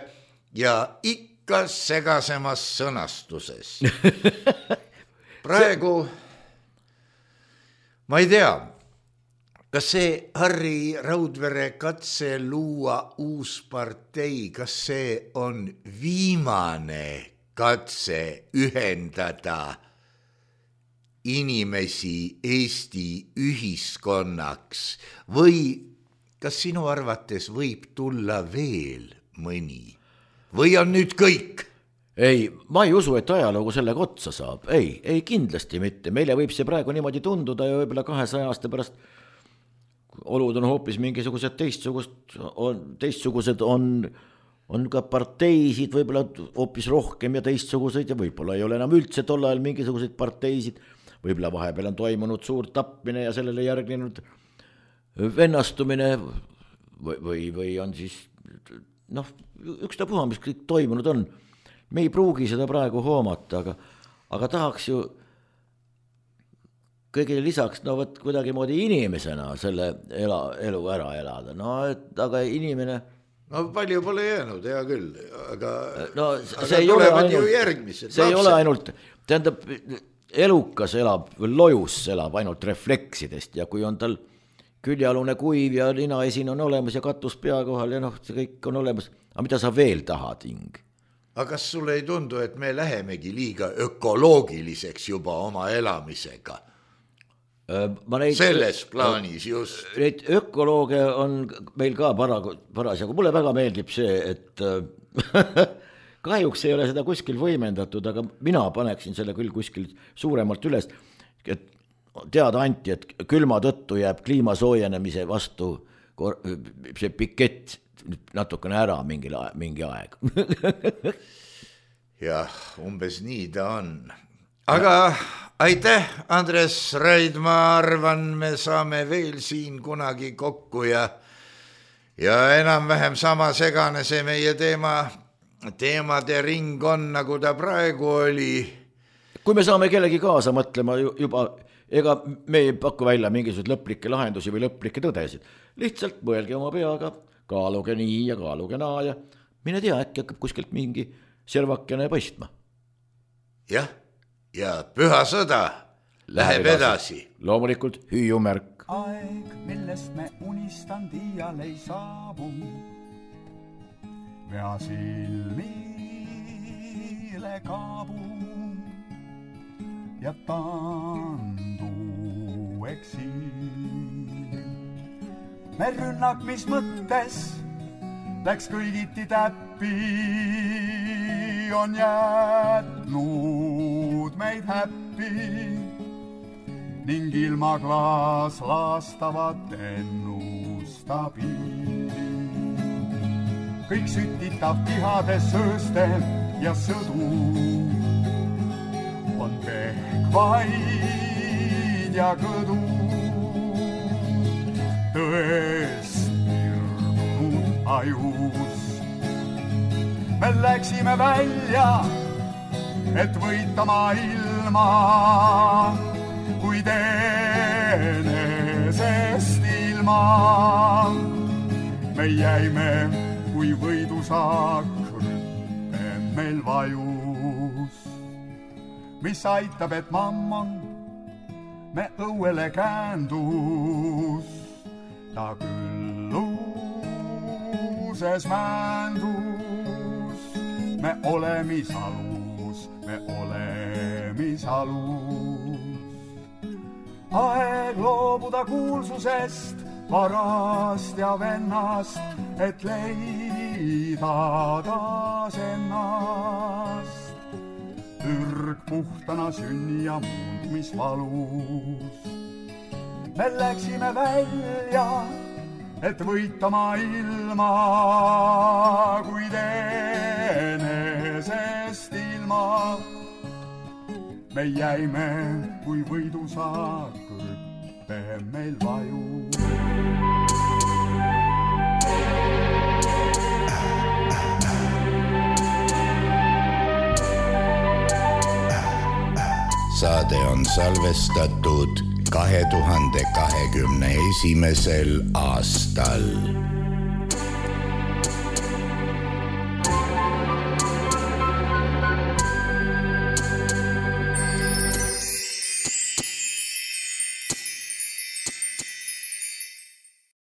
ja ikka segasemas sõnastuses. Praegu, ma ei tea, kas see Harri Raudvere katse luua uus partei, kas see on viimane katse ühendada inimesi Eesti ühiskonnaks või kas sinu arvates võib tulla veel mõni või on nüüd kõik? Ei, ma ei usu, et ajaloogu sellega otsa saab. Ei, ei kindlasti mitte. Meile võib see praegu niimoodi tunduda ja võib-olla kahesaja aasta pärast olud on hoopis mingisugused teistsugused on, teistsugused on, on ka parteisid võib-olla hoopis rohkem ja teistsuguseid ja võib-olla ei ole enam üldse tol ajal mingisuguseid parteisid. Võib-olla vahepeal on toimunud suur tappmine ja sellele järgnenud vennastumine või, või, või on siis, noh, üks ta puha, mis kõik toimunud on. Me ei pruugi seda praegu hoomata, aga, aga tahaks ju kõigile lisaks, no võt kuidagi moodi inimesena selle ela, elu ära elada. No, et, aga inimene... No palju pole jäänud, hea küll, aga, no, aga tulevad ainult, ju järgmised. See lapsed. Ei ole ainult, tähendab... Elukas elab, lojus elab ainult refleksidest ja kui on tal küljalune kuiv ja linaesin on olemas ja katus pea kohal ja noh, see kõik on olemas. Aga mida sa veel tahad, Ing? Aga kas sulle ei tundu, et me lähemegi liiga ökoloogiliseks juba oma elamisega? Ma neid, Selles plaanis just. Neid ökolooge on meil ka parasjagu. Mulle väga meeldib see, et... Kahjuks ei ole seda kuskil võimendatud, aga mina paneksin selle küll kuskil suuremalt üles, et teada anti, et külma tõttu jääb kliima soojenemise vastu see pikett natukene ära mingi, mingi aeg. jah, umbes nii ta on. Aga aitäh, Andres Raid, ma arvan, me saame veel siin kunagi kokku ja, ja enam-vähem sama segane see meie teema, teemade ring on, nagu ta praegu oli. Kui me saame kellegi kaasa mõtlema juba, ega me ei paku välja mingisugused lõplikke lahendusi või lõplikke tõdesid. Lihtsalt mõelge oma peaga, kaaluge nii ja kaaluge naa ja mine tea, äkki hakkab kuskilt mingi servakene paistma. Jah, ja püha sõda läheb edasi. Loomulikult hüüumärk. Aeg, millest me unistan iial ei saabu. Vea silmile kaabu ja tandu eksiil. Me rünnak, mis mõttes läks kõigiti täppi, on jätnud meid häppi ning ilma klaas laastavat ennustabiili. Kõik sütitab tihade sööste ja sõdu on pehkvaid ja kõdu. Tõest irdunud ajus me läksime välja, et võita maailma, kuid enesest ilma. Me jäime, kui võidusaak rüppe meil vajus, mis aitab, et mammon me õuele käendus. Ta külluses mändus, me olemisalus, me olemisalus. Aeg loobuda kuulsusest, varast ja vennast, et leida taas ennast. Ürg puhtana sünni ja muundmisvalus. Me läksime välja, et võita maailma, kuid enesest ilma. Me jäime, kui võidusaak rüppe meil vajus. Saade on salvestatud kahe tuhande kahekümne esimesel aastal.